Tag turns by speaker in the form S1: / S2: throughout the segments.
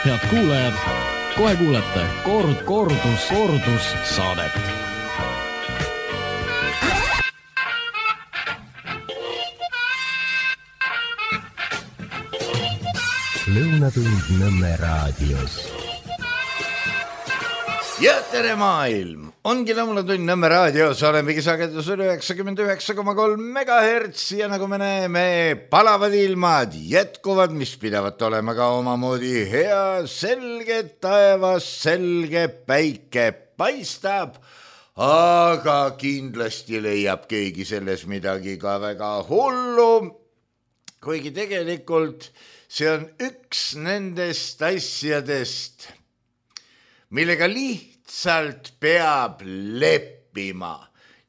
S1: Head kuulajad, kohe kuulete kordus saadet.
S2: Lõunatund Nõmme raadios.
S3: Ja tere maailm! Ongi Lõunatund Nõmme raadios, olemegi sagedusel 99,3 MHz ja nagu me näeme, palavad ilmad jätkuvad, mis pidavat olema ka omamoodi hea, selge taevas, selge päike paistab, aga kindlasti leiab keegi selles midagi ka väga hullu, kuigi tegelikult see on üks nendest asjadest, millega lihtsalt peab leppima.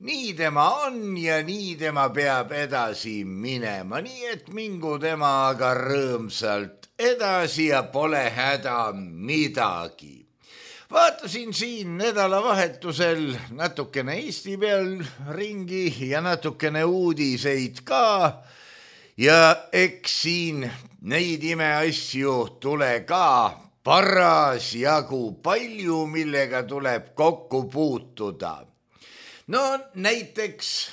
S3: Nii tema on ja nii tema peab edasi minema, nii et mingu tema aga rõõmsalt edasi ja pole häda midagi. Vaatasin siin nädalavahetusel natukene Eesti peal ringi ja natukene uudiseid ka ja eks siin neid imeasju tule ka parasjagu palju, millega tuleb kokku puutuda. No näiteks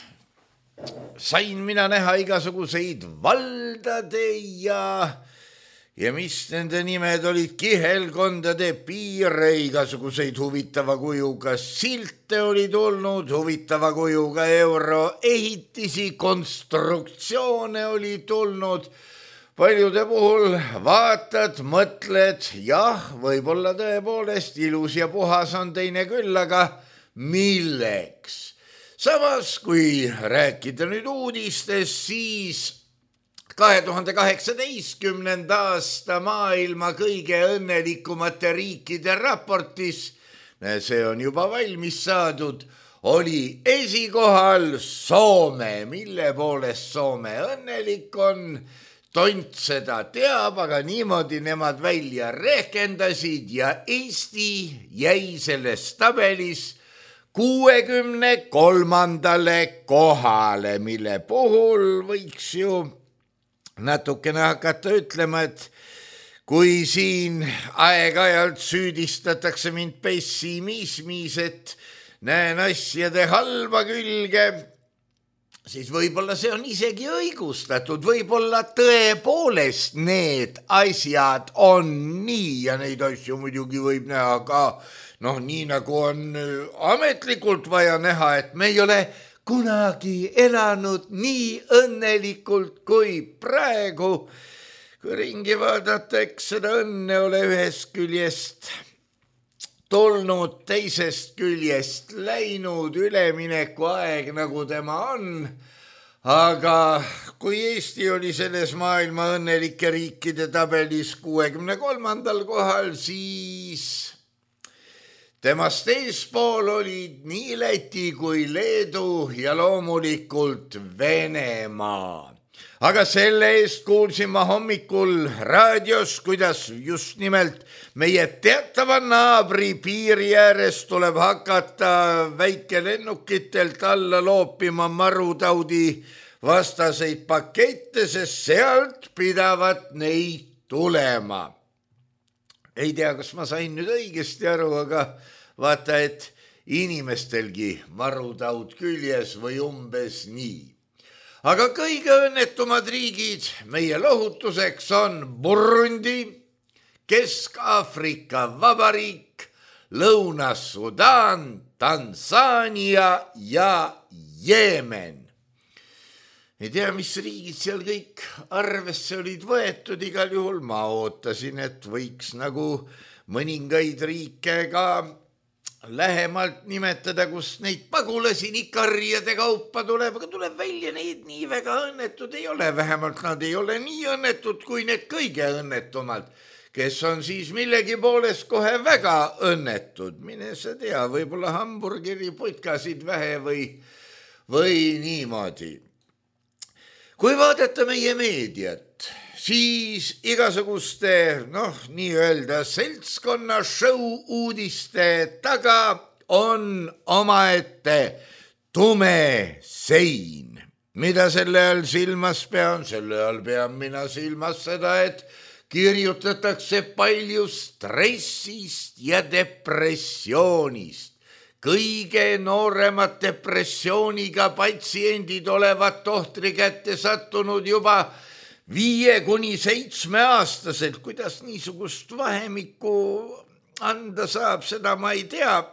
S3: sain mina näha igasuguseid valdade ja mis nende nimed olid, kihelkondade piire, igasuguseid huvitava kujuga silte oli tulnud, huvitava kujuga euroehitisi, konstruktsioone oli tulnud. Paljude puhul vaatad, mõtled, jah, võib-olla tõepoolest ilus ja puhas on teine küll, aga milleks? Samas, kui rääkida nüüd uudistest, siis 2018. aasta maailma kõige õnnelikumate riikide raportis, see on juba valmis saadud, oli esikohal Soome, mille poolest Soome õnnelik on. Tont seda teab, aga niimoodi nemad välja rehkendasid ja Eesti jäi selles tabelis 63. kohale, mille puhul võiks ju natukene hakata ütlema, et kui siin aeg-ajalt süüdistatakse mind pessimismis, et näen asjade halba külge, siis võib-olla see on isegi õigustatud, võib-olla tõepoolest need asjad on nii ja neid asju muidugi võib näha ka, nii nagu on ametlikult vaja näha, et me ei ole kunagi elanud nii õnnelikult kui praegu. Kui ringi vaadata, eks seda õnne ole ühest küljest tulnud, teisest küljest läinud, ülemineku aeg nagu tema on, aga kui Eesti oli selles maailma õnnelike riikide tabelis 63. kohal, siis temast eespool olid nii Läti kui Leedu ja loomulikult Venemaa. Aga selle eest kuulsin ma hommikul raadios, kuidas just nimelt meie teatava naabri piiri ääres tuleb hakata väikelennukitelt alla loopima marutaudi vastaseid pakette, sest sealt pidavat neid tulema. Ei tea, kas ma sain nüüd õigesti aru, aga vaata, et inimestelgi marutaud küljes või umbes nii. Aga kõige õnnetumad riigid meie lohutuseks on Burundi, Kesk-Aafrika Vabariik, Lõuna-Sudaan, Tansaania ja Jeemen. Ei tea, mis riigid seal kõik arvesse olid võetud, igal juhul ma ootasin, et võiks nagu mõningaid riike ka lähemalt nimetada, kus neid pagulasi nii karjade kaupa tuleb, aga tuleb välja, neid nii väga õnnetud ei ole, vähemalt nad ei ole nii õnnetud kui need kõige õnnetumad, kes on siis millegi poolest kohe väga õnnetud. Mine sa tea, võib-olla hamburgeri putkasid vähe või niimoodi. Kui vaadata meie meediat, siis igasuguste, nii-öelda seltskonna show uudiste taga on omaette tume sein. Mida selle all silmas pean? Selle all pean mina silmas seda, et kirjutatakse palju stressist ja depressioonist. Kõige nooremad depressiooniga patsiendid olevat tohtri kätte sattunud juba 5–7-aastaselt. Kuidas niisugust vahemikku anda saab, seda ma ei tea,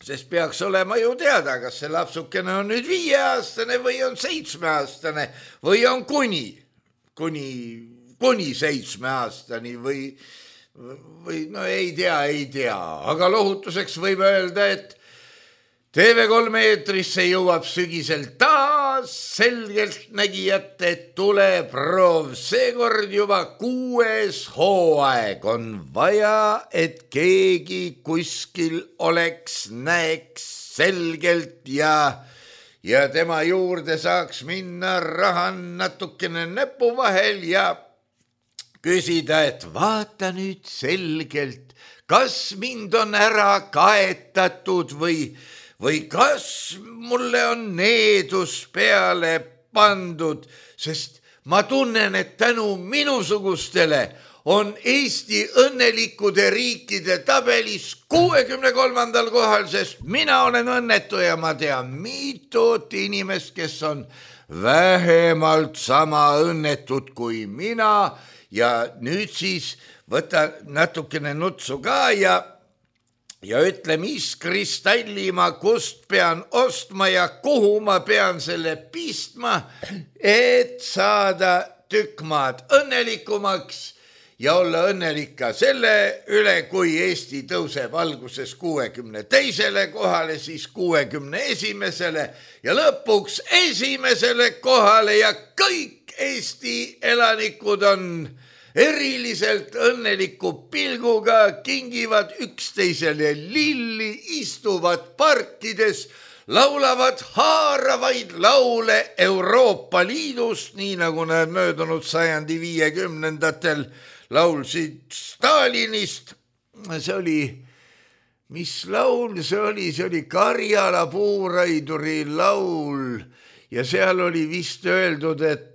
S3: sest peaks olema ju teada, kas see lapsukene on nüüd 5-aastane või on 7-aastane või on kuni 7-aastani või no ei tea, aga lohutuseks võib öelda, et TV3 eetrisse jõuab sügisel taas selgeltnägijate tuleproov, seekord juba 6. hooaeg. On vaja, et keegi kuskil oleks, näeks selgelt ja tema juurde saaks minna raha natukene näpu vahel ja küsida, et vaata nüüd selgelt, kas mind on ära kaetatud või kas mulle on needus peale pandud, sest ma tunnen, et tänu minusugustele on Eesti õnnelikude riikide tabelis 63. kohal, sest mina olen õnnetu ja ma tean mitut inimest, kes on vähemalt sama õnnetud kui mina ja nüüd siis võta natukene nutsu ka ja ütle, mis kristalli ma kust pean ostma ja kuhu ma pean selle pistma, et saada tükk maad õnnelikumaks ja olla õnnelik ka selle üle, kui Eesti tõuseb alguses 62. kohale, siis 61. ja lõpuks 1. kohale ja kõik Eesti elanikud on eriliselt õnneliku pilguga, kingivad üksteisele lilli, istuvad parkides, laulavad haaravaid laule Euroopa Liidust, nii nagu nad möödunud sajandi 50-ndatel laulsid Stalinist. See oli, mis laul see oli Karjala puuraiduri laul ja seal oli vist öeldud, et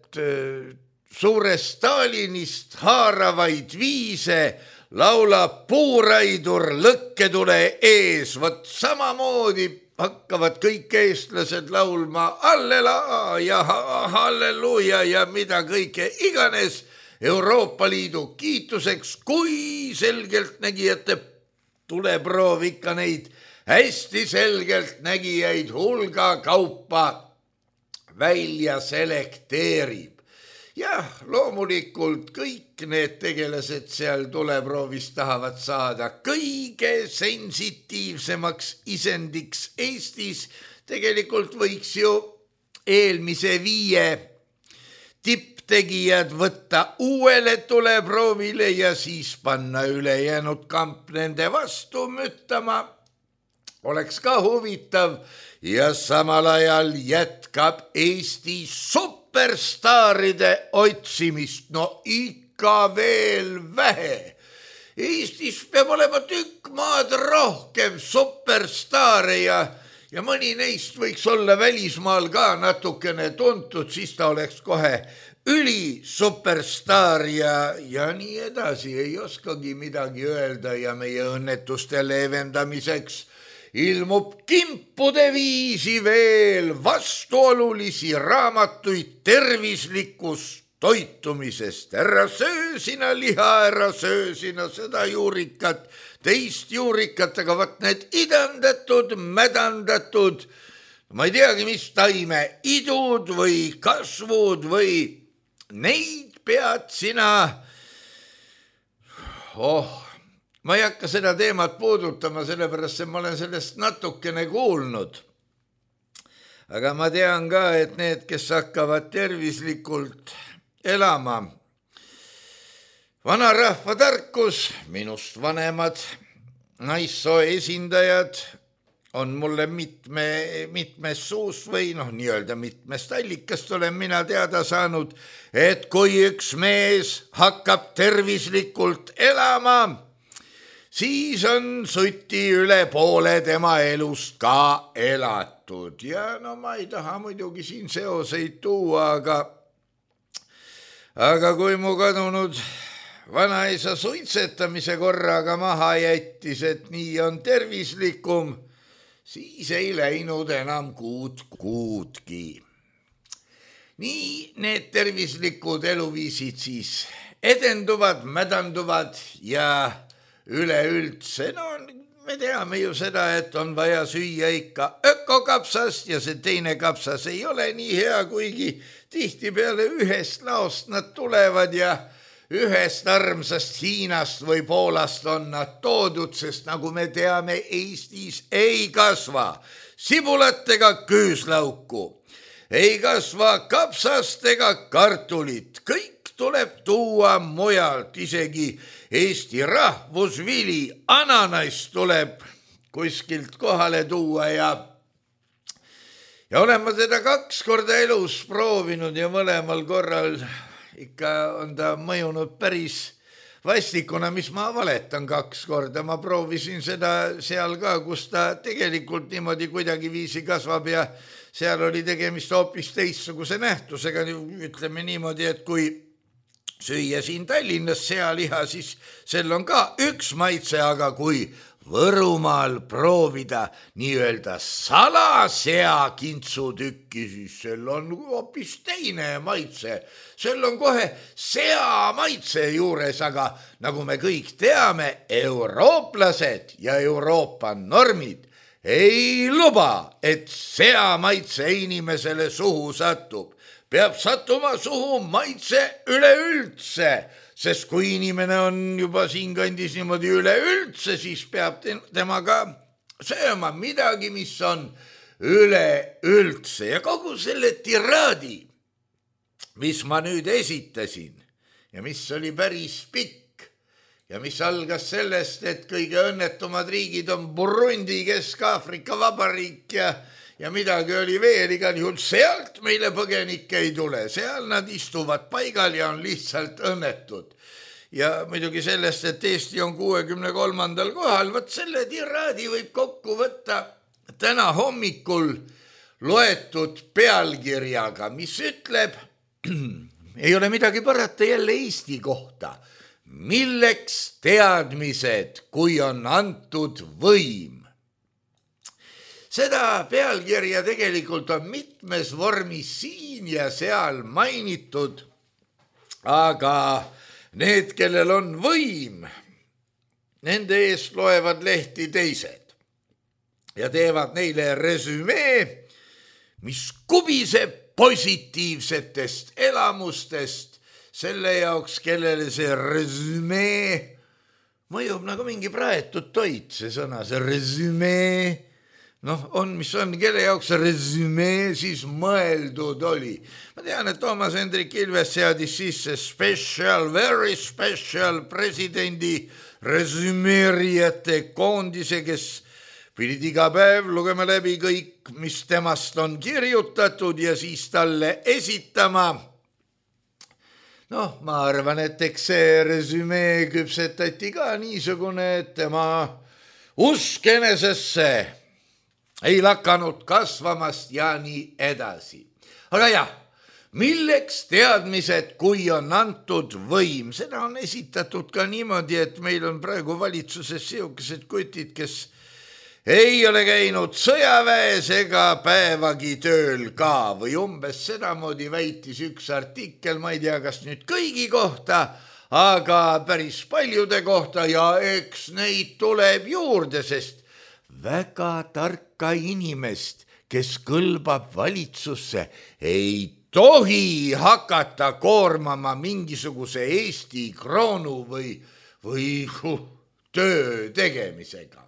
S3: suurest Stalinist haaravaid viise laulab puuraidur lõkketule ees. Vot samamoodi hakkavad kõik eestlased laulma allelaa ja halleluuja ja mida kõike iganes Euroopa Liidu kiituseks, kui selgeltnägijate tuleproov ikka neid hästi selgeltnägijaid hulga kaupa välja selekteerib. Jah, loomulikult kõik need tegelased seal tuleproovis tahavad saada kõige sensitiivsemaks isendiks Eestis. Tegelikult võiks ju eelmise 5 tipptegijad võtta uuele tuleproovile ja siis panna ülejäänud kamp nende vastu müttama. Oleks ka huvitav ja samal ajal jätkab Eesti superstaaride otsimist. No ikka veel vähe. Eestis peab olema tükk maad rohkem superstaare ja mõni neist võiks olla välismaal ka natukene tuntud, siis ta oleks kohe ülisuperstaar ja nii edasi. Ei oskagi midagi öelda ja meie õnnetuste leevendamiseks ilmub kimpude viisi veel vastuolulisi raamatuid tervislikust toitumisest. Ära söö sina liha, ära söö sina seda juurikat, teist juurikat, aga vaat need idandatud, mädandatud, ma ei teagi, mis taime, idud või kasvud või neid pead sina, ma ei hakka seda teemat puudutama, sellepärast et ma olen sellest natukene kuulnud. Aga ma tean ka, et need, kes hakkavad tervislikult elama, vanarahva tarkus, minust vanemad naissoo esindajad on mulle mitmes suus või nii-öelda mitmest allikast olen mina teada saanud, et kui üks mees hakkab tervislikult elama, siis on suti üle poole tema elust ka elatud. Ja ma ei taha muidugi siin seoseid tuua, aga kui mu kadunud vanaisa suitsetamise korraga maha jättis, et nii on tervislikum, siis ei läinud enam kuudki. Nii need tervislikud eluviisid siis edenduvad, mädanduvad ja üleüldse, me teame ju seda, et on vaja süüa ikka ökokapsast ja see teine kapsas ei ole nii hea, kuigi tihtipeale ühest laost nad tulevad ja ühest armsast Hiinast või Poolast on nad toodud, sest nagu me teame, Eestis ei kasva sibulat ega küüslauku, ei kasva kapsast ega kartulit, kõik tuleb tuua mujalt, isegi Eesti rahvusvili ananass tuleb kuskilt kohale tuua ja olen ma teda 2 korda elus proovinud ja mõlemal korral ikka on ta mõjunud päris vastikuna, mis ma valetan 2 korda. Ma proovisin seda seal ka, kus ta tegelikult niimoodi kuidagi viisi kasvab ja seal oli tegemist hoopis teistsuguse nähtusega, ütleme niimoodi, et kui süüa siin Tallinnas sealiha, siis sel on ka üks maitse, aga kui Võrumaal proovida nii-öelda salasea kintsutükki, siis sel on hoopis teine maitse. Sel on kohe sea maitse juures, aga nagu me kõik teame, eurooplased ja Euroopa normid ei luba, et sea maitse inimesele suhu satub. Peab sattuma suhu maitse üleüldse, sest kui inimene on juba siinkandis niimoodi üleüldse, siis peab tema ka sööma midagi, mis on üleüldse. Ja kogu selle tiraadi, mis ma nüüd esitasin ja mis oli päris pikk ja mis algas sellest, et kõige õnnetumad riigid on Burundi, Kesk-Aafrika Vabariik ja midagi oli veel, igal juhul sealt meile põgenikke ei tule, seal nad istuvad paigal ja on lihtsalt õnnetud. Ja muidugi sellest, et Eesti on 63. kohal, võt selle tiraadi võib kokku võtta täna hommikul loetud pealkirjaga, mis ütleb, ei ole midagi parata jälle Eesti kohta, milleks teadmised, kui on antud võim. Seda pealkirja tegelikult on mitmes vormis siin ja seal mainitud, aga need, kellel on võim, nende eest loevad lehti teised ja teevad neile resümee, mis kubiseb positiivsetest elamustest selle jaoks, kellele see resümee mõjub nagu mingi praetud toit, see sõna, see resümee. On, mis on, kelle jaoks resümee siis mõeldud oli. Ma tean, et Toomas Hendrik Ilves seadis sisse special, very special presidendi resümeerijate koondise, kes pidid iga päev lugema läbi kõik, mis temast on kirjutatud ja siis talle esitama. Ma arvan, et eks see resümee küpsetati ka niisugune, et tema usk enesesse ei lakanud kasvamast ja nii edasi. Aga jah, milleks teadmised, kui on antud võim? Seda on esitatud ka niimoodi, et meil on praegu valitsuses siukesed kutid, kes ei ole käinud sõjaväes ega päevagi tööl ka või umbes sedamoodi väitis üks artikkel, ma ei tea, kas nüüd kõigi kohta, aga päris paljude kohta ja eks neid tuleb juurde, sest väga tarka inimest, kes kõlbab valitsusse, ei tohi hakata koormama mingisuguse Eesti kroonu või töö tegemisega.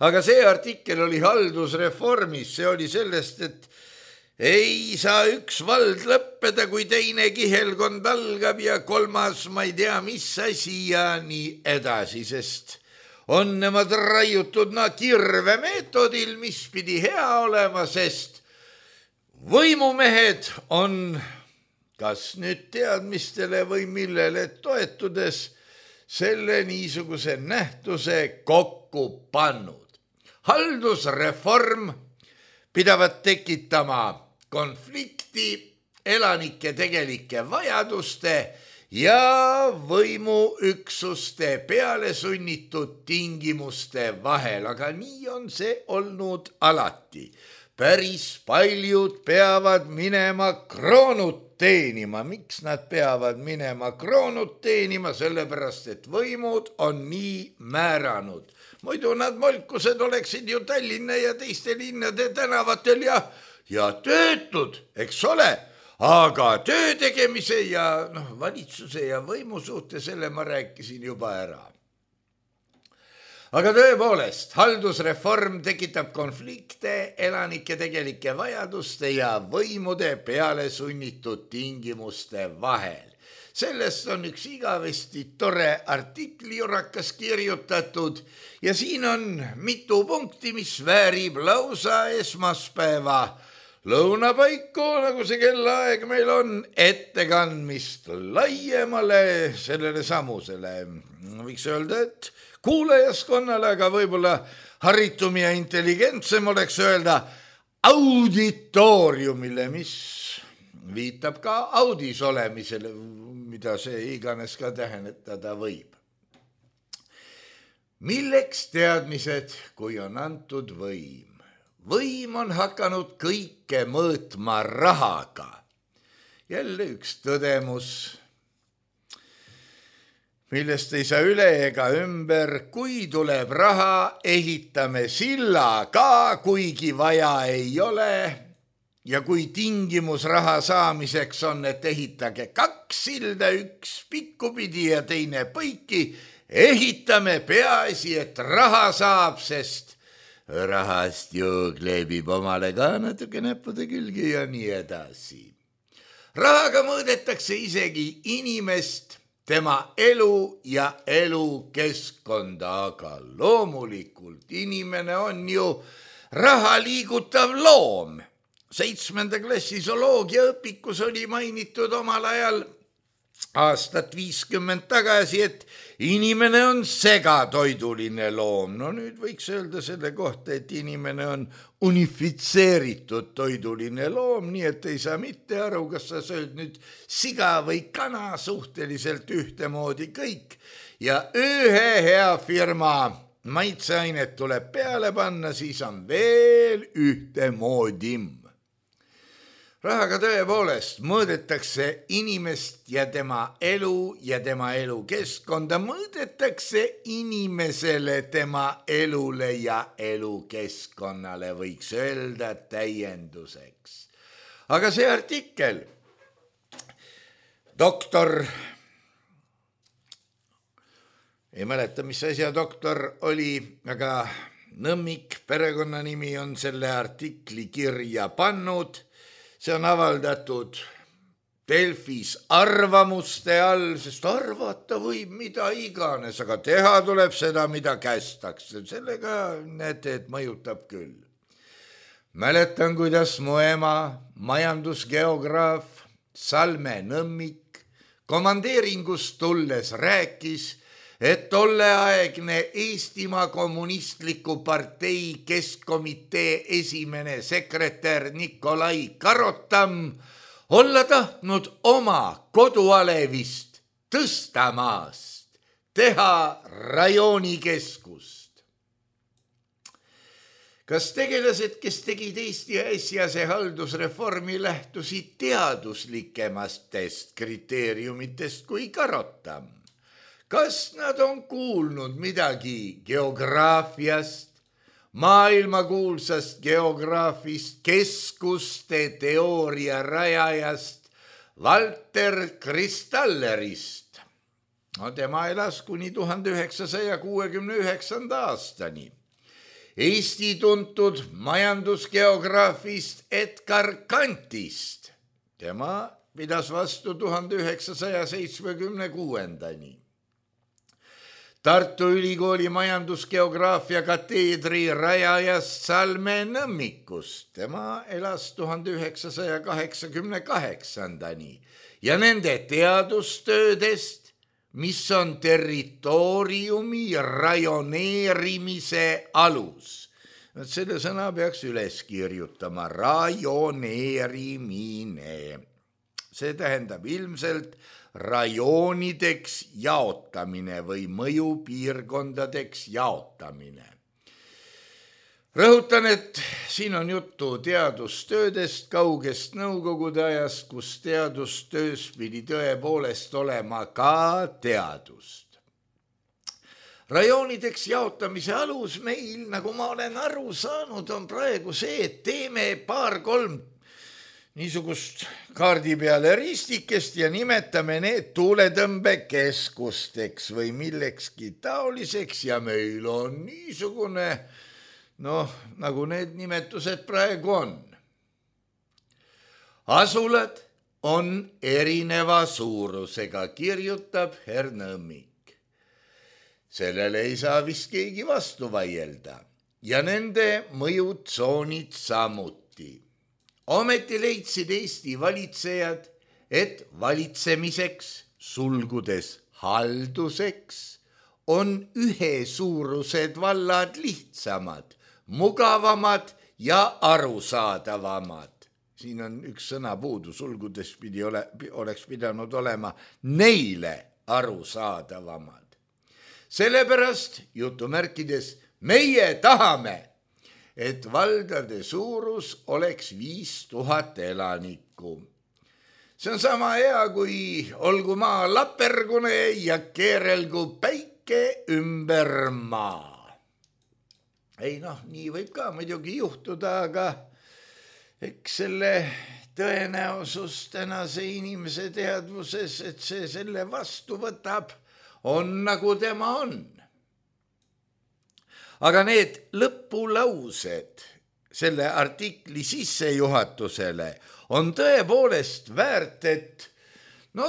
S3: Aga see artikkel oli haldusreformis, see oli sellest, et ei saa üks vald lõppeda, kui teine kihelkond algab ja kolmas, ma ei tea, mis asi ja nii edasi, sest on nemad raiutud kirvemeetodil, mis pidi hea olema, sest võimumehed on kas nüüd teadmistele või millele toetudes selle niisuguse nähtuse kokku pannud. Haldusreform pidavat tekitama konflikti elanike tegelike vajaduste ja võimuüksuste peale sunnitud tingimuste vahel, aga nii on see olnud alati. Päris paljud peavad minema kroonut teenima. Miks nad peavad minema kroonut teenima? Sellepärast, et võimud on nii määranud. Muidu nad molkused oleksid ju Tallinna ja teiste linnade tänavatel ja töötud, eks ole, aga töö tegemise ja valitsuse ja võimu suhte selle ma rääkisin juba ära. Aga tõepoolest, haldusreform tekitab konflikte elanike tegelike vajaduste ja võimude peale sunnitud tingimuste vahel. Sellest on üks igavesti tore artiklirakas kirjutatud ja siin on mitu punkti, mis väärib lausa esmaspäeva lõunapaiku, nagu see kellaaeg meil on, ettekandmist laiemale sellele samusele. Võiks öelda, et kuulajaskonnale, aga võib-olla haritum ja intelligentsem oleks öelda auditooriumile, mis viitab ka audis olemisele, mida see iganes ka tähendada võib. Milleks teadmised, kui on antud võim? Võim on hakanud kõike mõõtma rahaga. Jälle üks tõdemus, millest ei saa üle ega ümber, kui tuleb raha, ehitame silla ka, kuigi vaja ei ole. Ja kui tingimus raha saamiseks on, et ehitage 2 silda, üks pikkupidi ja teine põiki, ehitame peaasi, et raha saab, sest rahast ju kleebib omale ka natuke näppude külgi ja nii edasi. Rahaga mõõdetakse isegi inimest, tema elu ja elukeskkonda, aga loomulikult inimene on ju raha liigutav loom. 7. klassi zooloogiaõpikus oli mainitud omal ajal aastat 50 tagasi, et inimene on segatoiduline loom. No nüüd võiks öelda selle kohta, et inimene on unifitseeritud toiduline loom, nii et ei saa mitte aru, kas sa sööd nüüd siga või kana, suhteliselt ühtemoodi kõik. Ja ühe hea firma maitseainet tuleb peale panna, siis on veel ühtemoodi. Rahaga tõepoolest mõõdetakse inimest ja tema elu ja tema elukeskkonda, mõõdetakse inimesele, tema elule ja elukeskkonnale, võiks öelda täienduseks. Aga see artikkel, doktor, ei mäleta, mis asja doktor oli, aga Nõmmik, perekonnanimi, on selle artikli kirja pannud. See on avaldatud Delfis arvamuste all, sest arvata võib mida iganes, aga teha tuleb seda, mida kästakse. Sellega näete, et mõjutab küll. Mäletan, kuidas mu ema, majandusgeograaf Salme Nõmmik komandeeringust tulles rääkis, et tolleaegne Eestimaa kommunistliku partei keskkomitee esimene sekretär Nikolai Karotam olla tahtnud oma kodualevist Tõstamaast teha rajoonikeskust. Kas tegelased, kes tegid Eesti äsjase haldusreformi, lähtusid teaduslikemastest kriteeriumitest kui Karotam? Kas nad on kuulnud midagi geograafiast, maailmakuulsast geograafist, keskuste teooria rajajast, Walter Kristallerist? No, tema elas kuni 1969. aastani. Eesti tuntud majandusgeograafist Edgar Kantist. Tema pidas vastu 1976. Tartu Ülikooli majandusgeograafia kateedri rajajast Salme Nõmmikust. Tema elas 1988. Ja nende teadustöödest, mis on territooriumi rajoneerimise alus. Selle sõna peaks üles kirjutama, rajoneerimine. see tähendab ilmselt rajoonideks jaotamine või mõjupiirkondadeks jaotamine. Rõhutan, et siin on juttu teadustöödest kaugest nõukogude ajast, kus teadustöös pidi tõepoolest olema ka teadust. Rajoonideks jaotamise alus meil, nagu ma olen aru saanud, on praegu see, et teeme 2-3 niisugust kaardi peale ristikest ja nimetame need tuuletõmbekeskusteks või millekski taoliseks ja meil on niisugune nagu need nimetused praegu on. Asulad on erineva suurusega, kirjutab Hernõmmik. Sellele ei saa vist keegi vastu vaielda ja nende mõjutsoonid samuti. Ometi leidsid Eesti valitsejad, et valitsemiseks, sulgudes halduseks, on ühesuurused vallad lihtsamad, mugavamad ja arusaadavamad. Siin on üks sõna puudu, sulgudes oleks pidanud olema neile arusaadavamad. Sellepärast, jutumärkides, meie tahame, et valdade suurus oleks 5000 elanikku. See on sama hea, kui olgu maa lapergune ja keerelgu päike ümber maa. Ei nii võib ka muidugi juhtuda, aga eks selle tõenäosus tänase inimese teadvuses, et see selle vastu võtab, on nagu tema on. Aga need lõpulaused selle artikli sissejuhatusele on tõepoolest väärt, et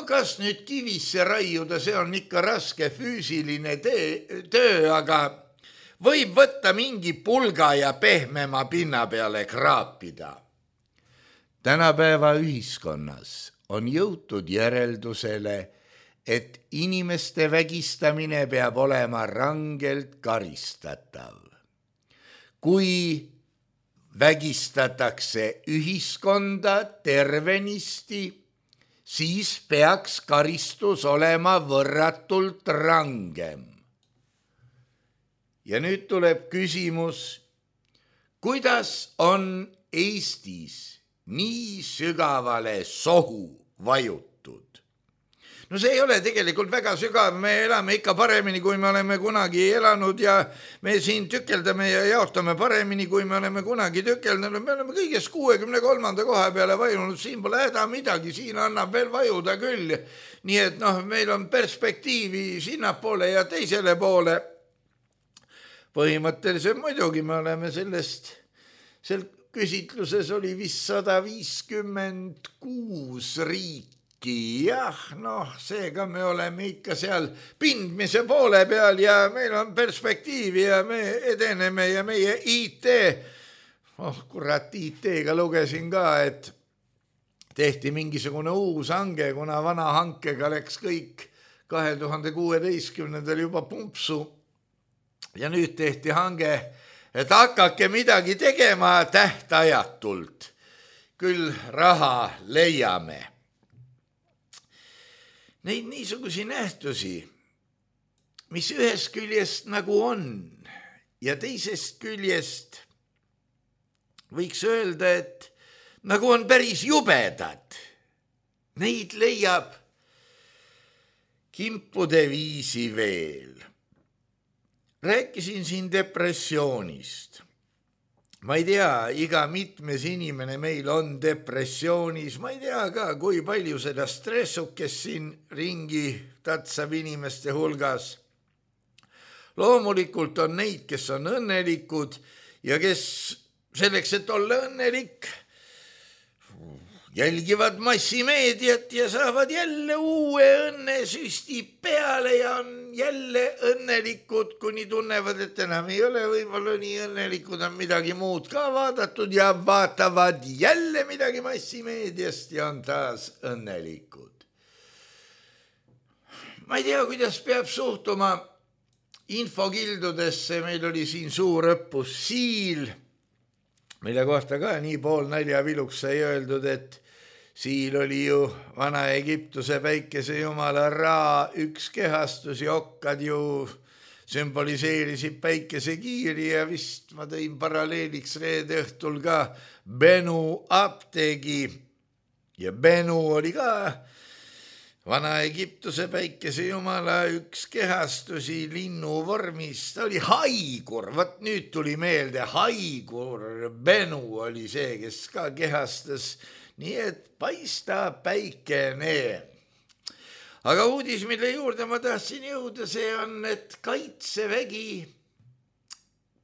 S3: kas nüüd kivisse raiuda, see on ikka raske füüsiline töö, aga võib võtta mingi pulga ja pehmema pinna peale kraapida. Tänapäeva ühiskonnas on jõutud järeldusele, et inimeste vägistamine peab olema rangelt karistatav. Kui vägistatakse ühiskonda tervenisti, siis peaks karistus olema võrratult rangem. Ja nüüd tuleb küsimus, kuidas on Eestis nii sügavale sohu vajutud? See ei ole tegelikult väga sügav, me elame ikka paremini, kui me oleme kunagi elanud ja me siin tükeldame ja jaotame paremini, kui me oleme kunagi tükeldanud. Me oleme kõigest 63. koha peale vajunud, siin pole häda midagi, siin annab veel vajuda küll. Nii et meil on perspektiivi sinnapoole ja teisele poole. Põhimõtteliselt muidugi me oleme sel küsitluses oli vist 156 riiki, seega me oleme ikka seal pindmise poole peal ja meil on perspektiivi ja me edeneme ja meie IT, IT-ga lugesin ka, et tehti mingisugune uus hange, kuna vana hankega läks kõik 2016. juba pumpsu. Ja nüüd tehti hange, et hakake midagi tegema tähtajatult. Küll raha leiame. Neid niisugusi nähtusi, mis ühest küljest nagu on ja teisest küljest võiks öelda, et nagu on päris jubedad. Neid leiab kimpude viisi veel. Rääkisin siin depressioonist. Ma ei tea, iga mitmes inimene meil on depressioonis. Ma ei tea ka, kui palju seda stressukest siin ringi tatsab inimeste hulgas. Loomulikult on neid, kes on õnnelikud ja kes selleks, et olla õnnelik, jälgivad massimeediat ja saavad jälle uue õnnesüsti peale ja on jälle õnnelikud, kuni tunnevad, et enam ei ole võib-olla nii õnnelikud, on midagi muud ka vaadatud ja vaatavad jälle midagi massimeediast ja on taas õnnelikud. Ma ei tea, kuidas peab suhtuma infokildudesse, meil oli siin suur õppus Siil, mille kohta ka nii pool naljaviluks sai öeldud, et Siil oli ju Vana-Egiptuse päikesejumala Ra üks kehastus ja okkad ju sümboliseerisid päikesekiiri ja vist ma tõin paralleeliks reede õhtul ka Benu apteegi ja Benu oli ka Vana-Egiptuse päikesejumala üks kehastusi linnu vormis, ta oli haigur, vot nüüd tuli meelde, haigur Benu oli see, kes ka kehastas, nii et paista päikene. Aga uudis, mille juurde ma tahtsin jõuda, see on, et Kaitsevägi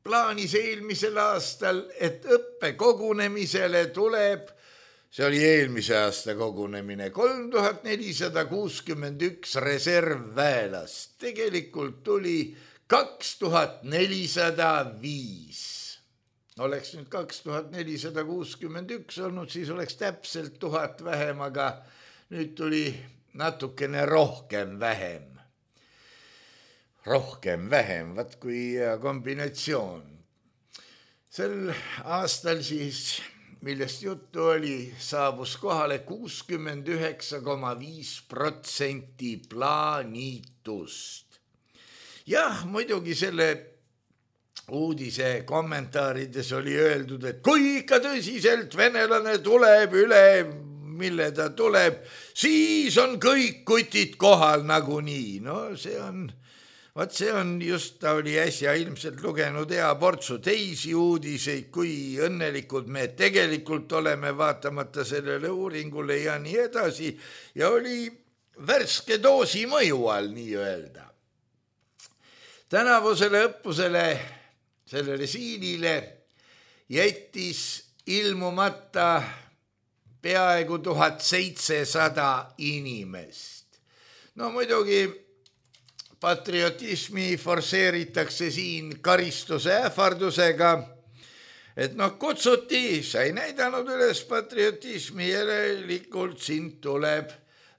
S3: plaanis eelmisel aastal, et õppekogunemisele tuleb, see oli eelmise aasta kogunemine, 3461 reservväelast. Tegelikult tuli 2405. Oleks nüüd 2461 olnud, siis oleks täpselt 1000 vähem, aga nüüd tuli natukene rohkem vähem. Rohkem vähem, vaat kui kombinatsioon. Sel aastal siis, millest juttu oli, saabus kohale 69,5% plaanitust. Jah, muidugi selle uudise kommentaarides oli öeldud, et kui ikka tõsiselt venelane tuleb üle, mille ta tuleb, siis on kõik kutid kohal nagunii. No see on just, ta oli äsja ilmselt lugenud hea portsu teisi uudiseid, kui õnnelikud me tegelikult oleme vaatamata sellele uuringule ja nii edasi. Ja oli värske doosi mõju all, nii öelda. Tänavusele õppusele, sellele Siilile jättis ilmumata peaaegu 1700 inimest. No muidugi patriotismi forseeritakse siin karistuse ähvardusega, et kutsuti, sai näidanud üles patriotismi, järelikult sind tuleb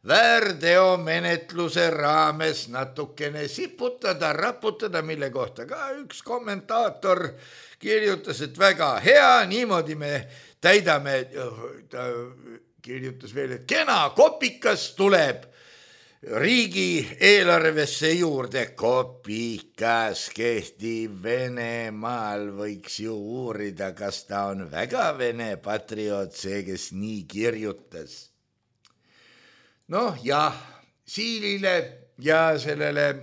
S3: väärteomenetluse raames natukene siputada, raputada, mille kohta ka üks kommentaator kirjutas, et väga hea, niimoodi me täidame, ta kirjutas veel, et kena kopikas tuleb riigi eelarvesse juurde. Kopikas kehtib Venemaal, võiks ju uurida, kas ta on väga vene patrioot, see, kes nii kirjutas. Jah, Siilile ja sellele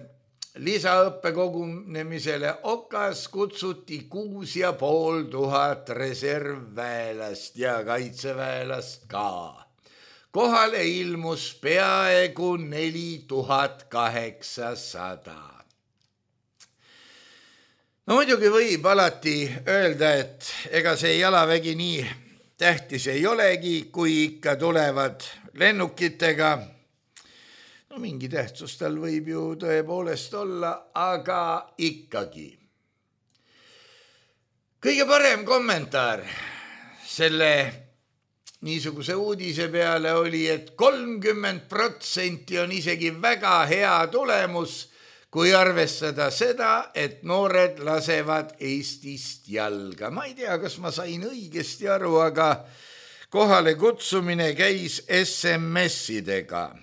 S3: lisaõppekogunemisele Okas kutsuti 6500 reservväelast ja kaitseväelast ka. Kohale ilmus peaaegu 4800. Muidugi võib alati öelda, et ega see jalavägi nii tähtis ei olegi, kui ikka tulevad lennukitega. Mingi tähtsus tal võib ju tõepoolest olla, aga ikkagi. Kõige parem kommentaar selle niisuguse uudise peale oli, et 30% on isegi väga hea tulemus, kui arvestada seda, et noored lasevad Eestist jalga. Ma ei tea, kas ma sain õigesti aru, aga kohale kutsumine käis SMS-idega.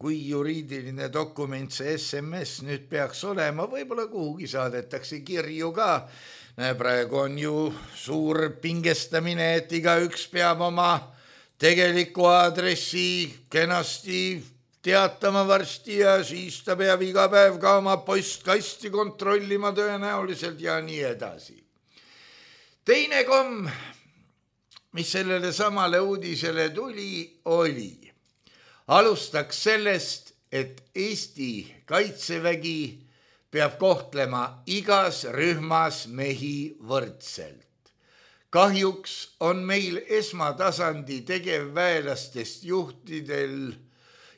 S3: Kui juriidiline dokument see SMS nüüd peaks olema, võib-olla kuhugi saadetakse kirju ka. Praegu on ju suur pingestamine, et igaüks peab oma tegeliku aadressi kenasti teatama varsti ja siis ta peab iga päev ka oma postkasti kontrollima tõenäoliselt ja nii edasi. Teine komm, mis sellele samale uudisele tuli, oli alustaks sellest, et Eesti Kaitsevägi peab kohtlema igas rühmas mehi võrdselt. Kahjuks on meil esmatasandi tegevväelastest juhtidel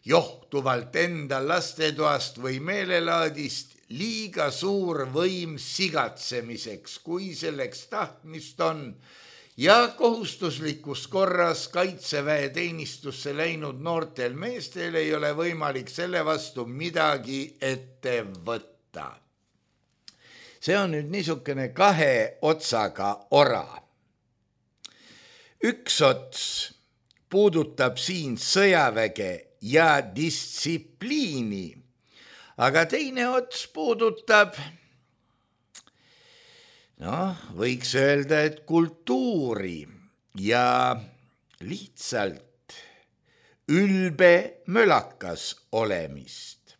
S3: johtuvalt enda lastetoast või meelelaadist liiga suur võim sigatsemiseks, kui selleks tahtmist on, ja kohustuslikus korras kaitseväe teenistusse läinud noortel meestel ei ole võimalik selle vastu midagi ette võtta. See on nüüd niisugune kahe otsaga ora. üks ots puudutab siin sõjaväge ja distsipliini, aga teine ots puudutab, võiks öelda, et kultuuri ja lihtsalt ülbe mölakas olemist.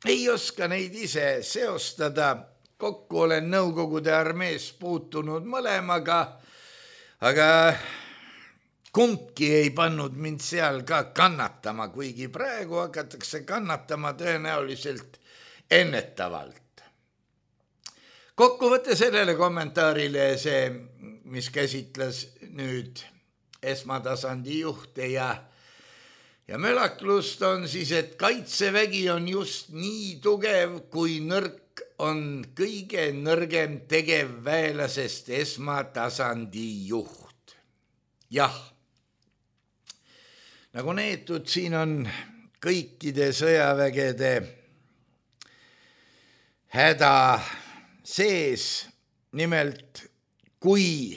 S3: Ei oska neid ise seostada, kokku olen Nõukogude armees puutunud mõlemaga, aga kumbki ei pannud mind seal ka kannatama, kuigi praegu hakatakse kannatama tõenäoliselt ennetavalt. Kokkuvõte sellele kommentaarile see, mis käsitles nüüd esmatasandi juhte ja mölaklust on siis, et kaitsevägi on just nii tugev, kui nõrk on kõige nõrgem tegevväelasest esmatasandi juht. Jah, nagu neetud, siin on kõikide sõjavägede häda sees, nimelt kui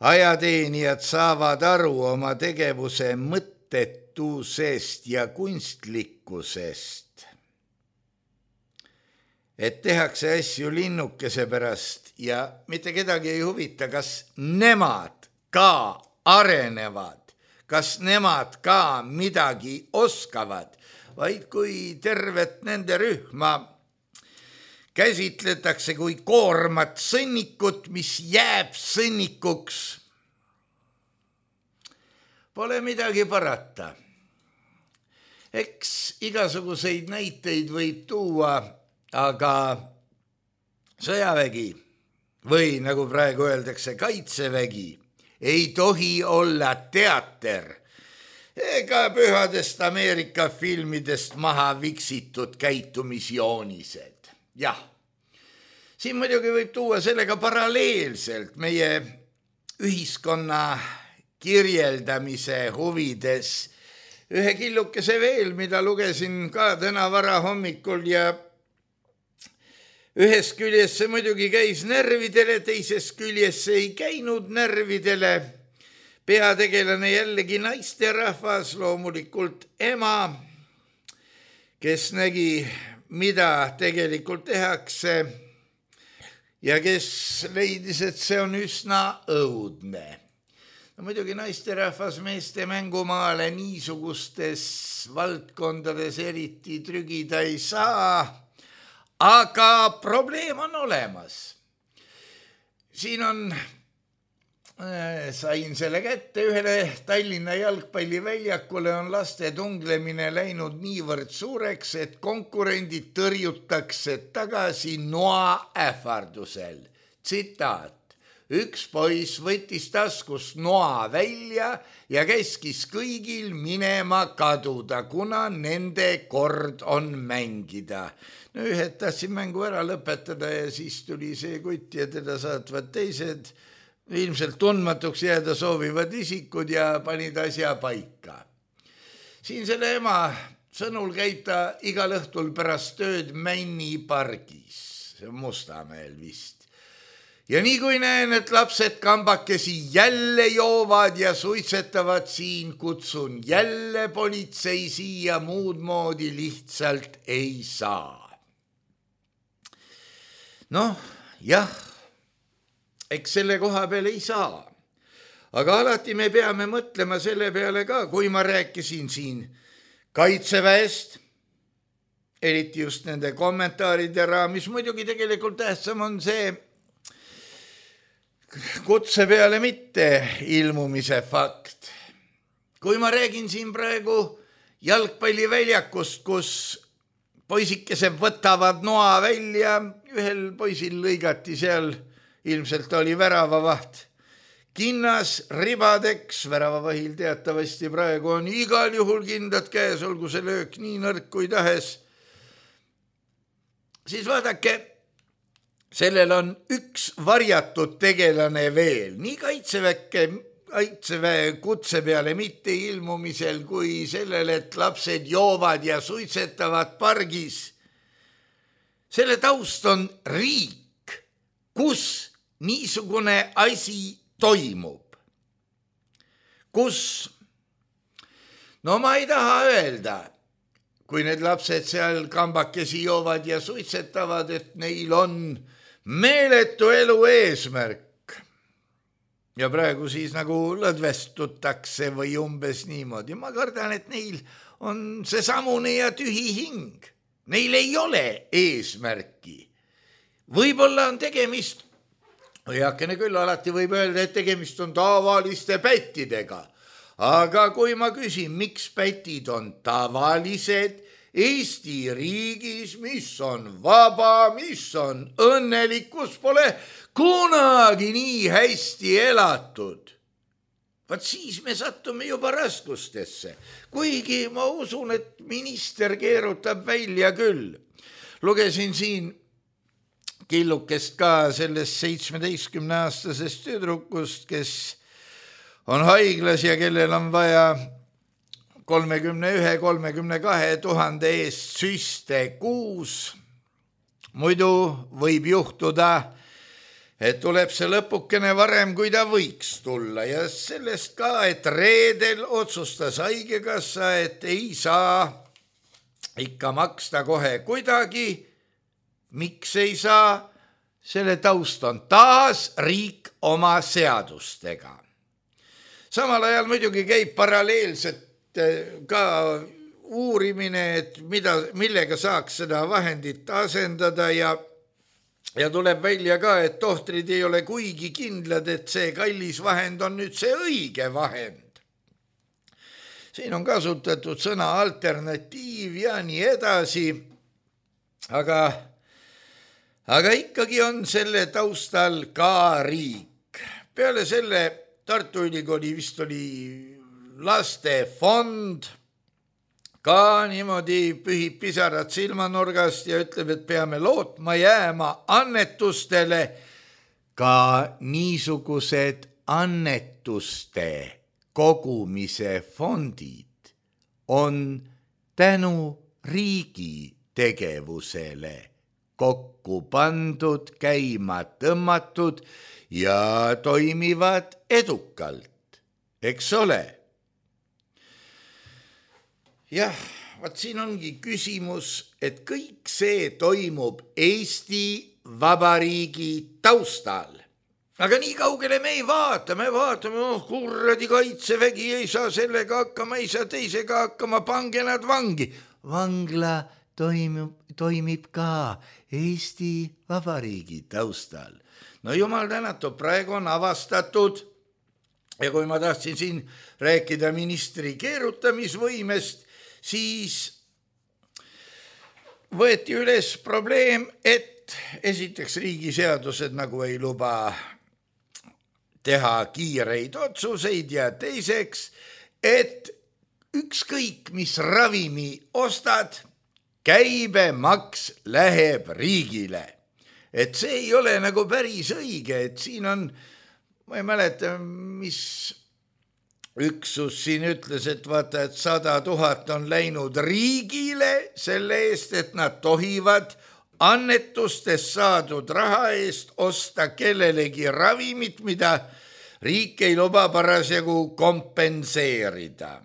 S3: ajateenijad saavad aru oma tegevuse mõttetusest ja kunstlikkusest, et tehakse asju linnukese pärast ja mitte kedagi ei huvita, kas nemad ka arenevad, kas nemad ka midagi oskavad, vaid kui tervet nende rühma käsitletakse kui koormat sõnnikut, mis jääb sõnnikuks. Pole midagi parata. Eks igasuguseid näiteid võib tuua, aga sõjavägi või nagu praegu öeldakse kaitsevägi ei tohi olla teater ega pühadest Ameerika filmidest maha viksitud käitumisjoonised. Jah, siin muidugi võib tuua sellega paralleelselt meie ühiskonna kirjeldamise huvides ühe killukese veel, mida lugesin ka täna varahommikul ja ühest küljest see muidugi käis närvidele, teisest küljest ei käinud närvidele. Peategelane jällegi naisterahvas, loomulikult ema, kes nägi, mida tegelikult tehakse ja kes leidis, et see on üsna õudne. No, muidugi naisterahvas meeste mängumaale niisugustes valdkondades eriti trügida ei saa, aga probleem on olemas. Siin on, sain selle kätte, ühele Tallinna jalgpalliväljakule on laste tunglemine läinud niivõrd suureks, et konkurendid tõrjutakse tagasi noa ähvardusel. Tsitaat: üks poiss võttis taskust noa välja ja käskis kõigil minema kaduda, kuna nende kord on mängida. No, ühed tahtsid mängu ära lõpetada ja siis tuli see kutt ja teda saatvad teised, ilmselt tundmatuks jääda soovivad isikud ja panid asja paika. Siin selle ema sõnul käib ta igal õhtul pärast tööd Männi pargis, see on Mustamäel vist. Ja nii kui näen, et lapsed kambakesi jälle joovad ja suitsetavad siin, kutsun jälle politsei siia, muud moodi lihtsalt ei saa. Noh, jah, eks selle koha peale ei saa. Aga alati me peame mõtlema selle peale ka, kui ma rääkisin siin kaitseväest, eriti just nende kommentaaride raamis, muidugi tegelikult tähtsam on see kutse peale mitte ilmumise fakt. Kui ma räägin siin praegu jalgpalliväljakust, kus poisikesed võtavad noa välja, ühel poisil lõigati seal, ilmselt oli väravavaht, kinnas ribadeks, väravavahil teatavasti praegu on igal juhul kindlad käes, olgu see löök nii nõrk kui tahes. Siis vaadake, sellel on üks varjatud tegelane veel, nii kaitseväe kutse peale mitte ilmumisel kui sellel, et lapsed joovad ja suitsetavad pargis. Selle taust on riik, kus niisugune asi toimub, kus, no ma ei taha öelda, kui need lapsed seal kambakesi joovad ja suitsetavad, et neil on meeletu elu eesmärk. Ja praegu siis nagu lõdvestutakse või umbes niimoodi. Ma kardan, et neil on seesamune ja tühi hing. Neil ei ole eesmärki. Võib-olla on tegemist, heakene küll, alati võib öelda, et tegemist on tavaliste pättidega. Aga kui ma küsin, miks pätid on tavalised Eesti riigis, mis on vaba, mis on õnnelik, kus pole kunagi nii hästi elatud, vaat siis me sattume juba raskustesse. Kuigi ma usun, et minister keerutab välja küll. Lugesin siin killukest ka sellest 17-aastasest tüdrukust, kes on haiglas ja kellel on vaja 31-32 000 eest süste kuus. Muidu võib juhtuda, et tuleb see lõpukene varem, kui ta võiks tulla. Ja sellest ka, et reedel otsustas haigekassa, et ei saa ikka maksta kohe kuidagi. Miks ei saa? Selle taust on taas riik oma seadustega. Samal ajal muidugi käib paralleelselt ka uurimine, et millega saaks seda vahendit asendada ja tuleb välja ka, et tohtrid ei ole kuigi kindlad, et see kallis vahend on nüüd see õige vahend. Siin on kasutatud sõna alternatiiv ja nii edasi, aga ikkagi on selle taustal ka riik. Peale selle Tartu Ülikooli vist oli lastefond, ka niimoodi pühib pisarad silmanurgast ja ütleb, et peame lootma jääma annetustele. Ka niisugused annetuste kogumise fondid on tänu riigi tegevusele kokku pandud, käima tõmmatud ja toimivad edukalt, eks ole. Jah, vaat siin ongi küsimus, et kõik see toimub Eesti Vabariigi taustal. Aga nii kaugele me ei vaata, me vaatame, kurradi kaitsevägi ei saa sellega hakkama, ei saa teisega hakkama, pange nad vangi. Vangla toimib ka Eesti Vabariigi taustal. No jumal tänatud, praegu on avastatud ja kui ma tahtsin siin rääkida ministri keerutamisvõimest, siis võeti üles probleem, et esiteks riigiseadused nagu ei luba teha kiireid otsuseid ja teiseks, et ükskõik mis ravimi ostad, käibemaks läheb riigile. Et see ei ole nagu päris õige, et siin on, ma ei mäleta, mis üksus siin ütles, et vaata, et 100 000 on läinud riigile selle eest, et nad tohivad annetustest saadud raha eest osta kellelegi ravimit, mida riik ei luba parasjagu kompenseerida.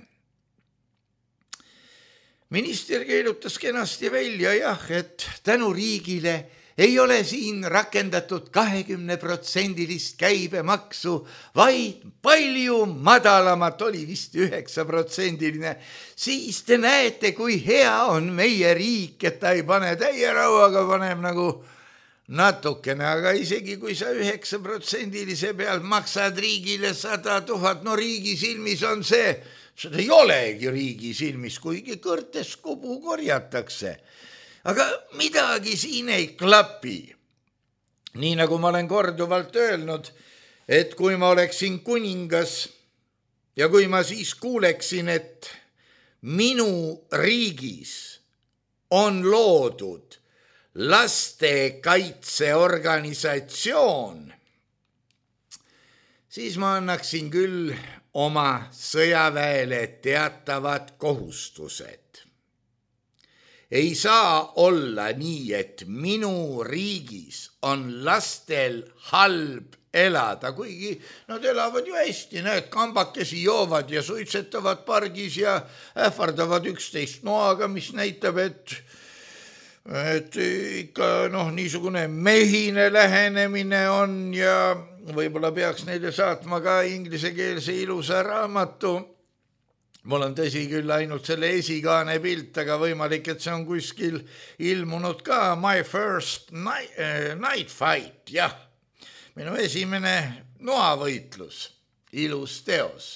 S3: Minister keelutas kenasti välja, jah, et tänu riigile ei ole siin rakendatud 20% käibemaksu, vaid palju madalamat, oli vist 9%. Siis te näete, kui hea on meie riik, et ta ei pane täierauaga, paneb nagu natukene, aga isegi kui sa 9% pealt maksad riigile 100 000, no riigi silmis on see, seda ei olegi riigi silmis, kuigi kõrtes kobu korjatakse. Aga midagi siin ei klapi. Nii nagu ma olen korduvalt öelnud, et kui ma oleksin kuningas ja kui ma siis kuuleksin, et minu riigis on loodud lastekaitseorganisatsioon, siis ma annaksin küll oma sõjaväele teatavad kohustused. Ei saa olla nii, et minu riigis on lastel halb elada, kuigi nad elavad ju hästi, näed, kambakesi joovad ja suitsetavad pargis ja ähvardavad üksteist noaga, mis näitab, et ikka niisugune mehine lähenemine on ja võib-olla peaks neile saatma ka ingliskeelse ilusa raamatu. Mul on tõsi küll ainult selle esikaane pilt, aga võimalik, et see on kuskil ilmunud ka. My First Night Fight, jah. Minu esimene noavõitlus, ilus teos.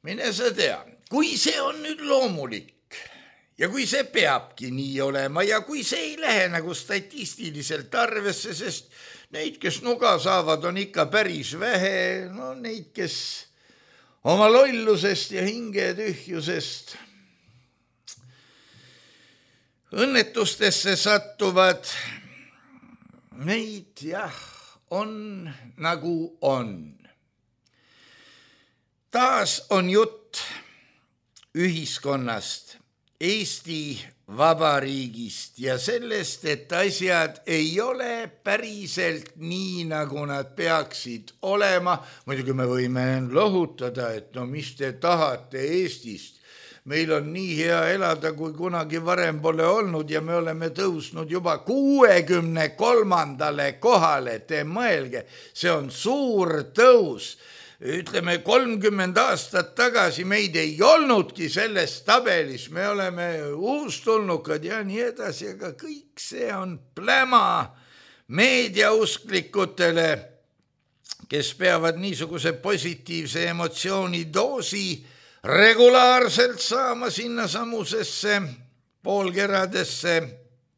S3: Mine sa tea, kui see on nüüd loomulik ja kui see peabki nii olema ja kui see ei lähe nagu statistiliselt arvesse, sest neid, kes nuga saavad, on ikka päris vähe, neid, kes oma lollusest ja hingetühjusest õnnetustesse sattuvad, neid on nagu on. Taas on jutt ühiskonnast, Eesti Vabariigist ja sellest, et asjad ei ole päriselt nii, nagu nad peaksid olema. Muidugi me võime lohutada, et mis te tahate Eestist. Meil on nii hea elada, kui kunagi varem pole olnud ja me oleme tõusnud juba 63. kohale. Te mõelge, see on suur tõus. Ütleme 30 aastat tagasi meid ei olnudki selles tabelis, me oleme uustulnukad ja nii edasi, aga kõik see on pläma meediausklikutele, kes peavad niisuguse positiivse emotsiooni doosi regulaarselt saama sinna samusesse poolkeradesse,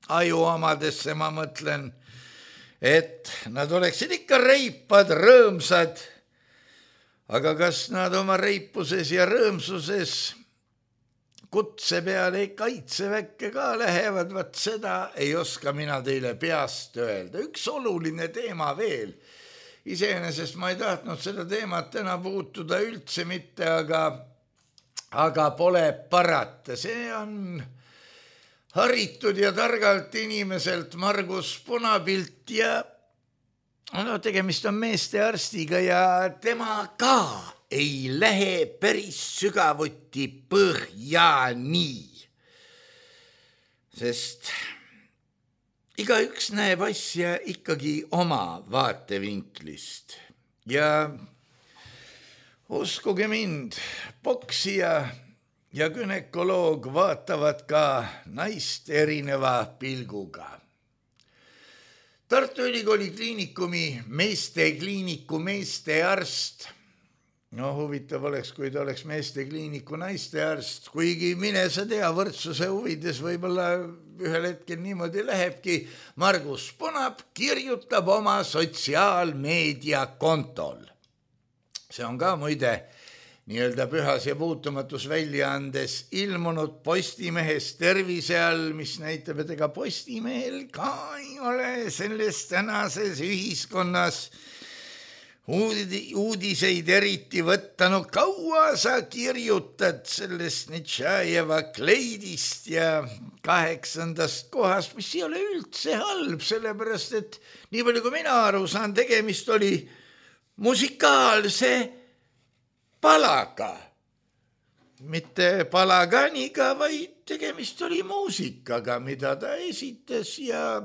S3: ajuomadesse, ma mõtlen, et nad oleksid ikka reipad, rõõmsad. Aga kas nad oma reipuses ja rõõmsuses kutse peale kaitseväkke ka lähevad, vaat seda ei oska mina teile peast öelda. Üks oluline teema veel. Iseenesest ma ei tahtnud seda teemat täna puutuda üldse mitte, aga pole parata. See on haritud ja targalt inimeselt Margus Punapilt ja tegemist on meeste arstiga ja tema ka ei lähe päris sügavuti põhjani, sest igaüks näeb asja ikkagi oma vaatevinklist ja uskuge mind, poksija ja günekoloog vaatavad ka naist erineva pilguga. Tartu Ülikooli kliinikumi meestekliiniku meestearst. Huvitav oleks, kui ta oleks meestekliiniku naistearst, kuigi mine sa tea, võrdsuse huvides võib-olla ühel hetkel niimoodi lähebki. Margus Punap kirjutab oma sotsiaalmeedia kontol. See on ka muide nii-öelda Pühas ja puutumatus väljaandes ilmunud Postimehes tervise all, mis näitab, et ega Postimehel ka ei ole selles tänases ühiskonnas uudiseid eriti võtta. Kaua sa kirjutad sellest Nitšajeva kleidist ja 8. kohast, mis ei ole üldse halb, sellepärast et nii palju kui mina aru saan, tegemist oli musikaalse palaga, mitte palaganiga, vaid tegemist oli muusikaga, mida ta esitas ja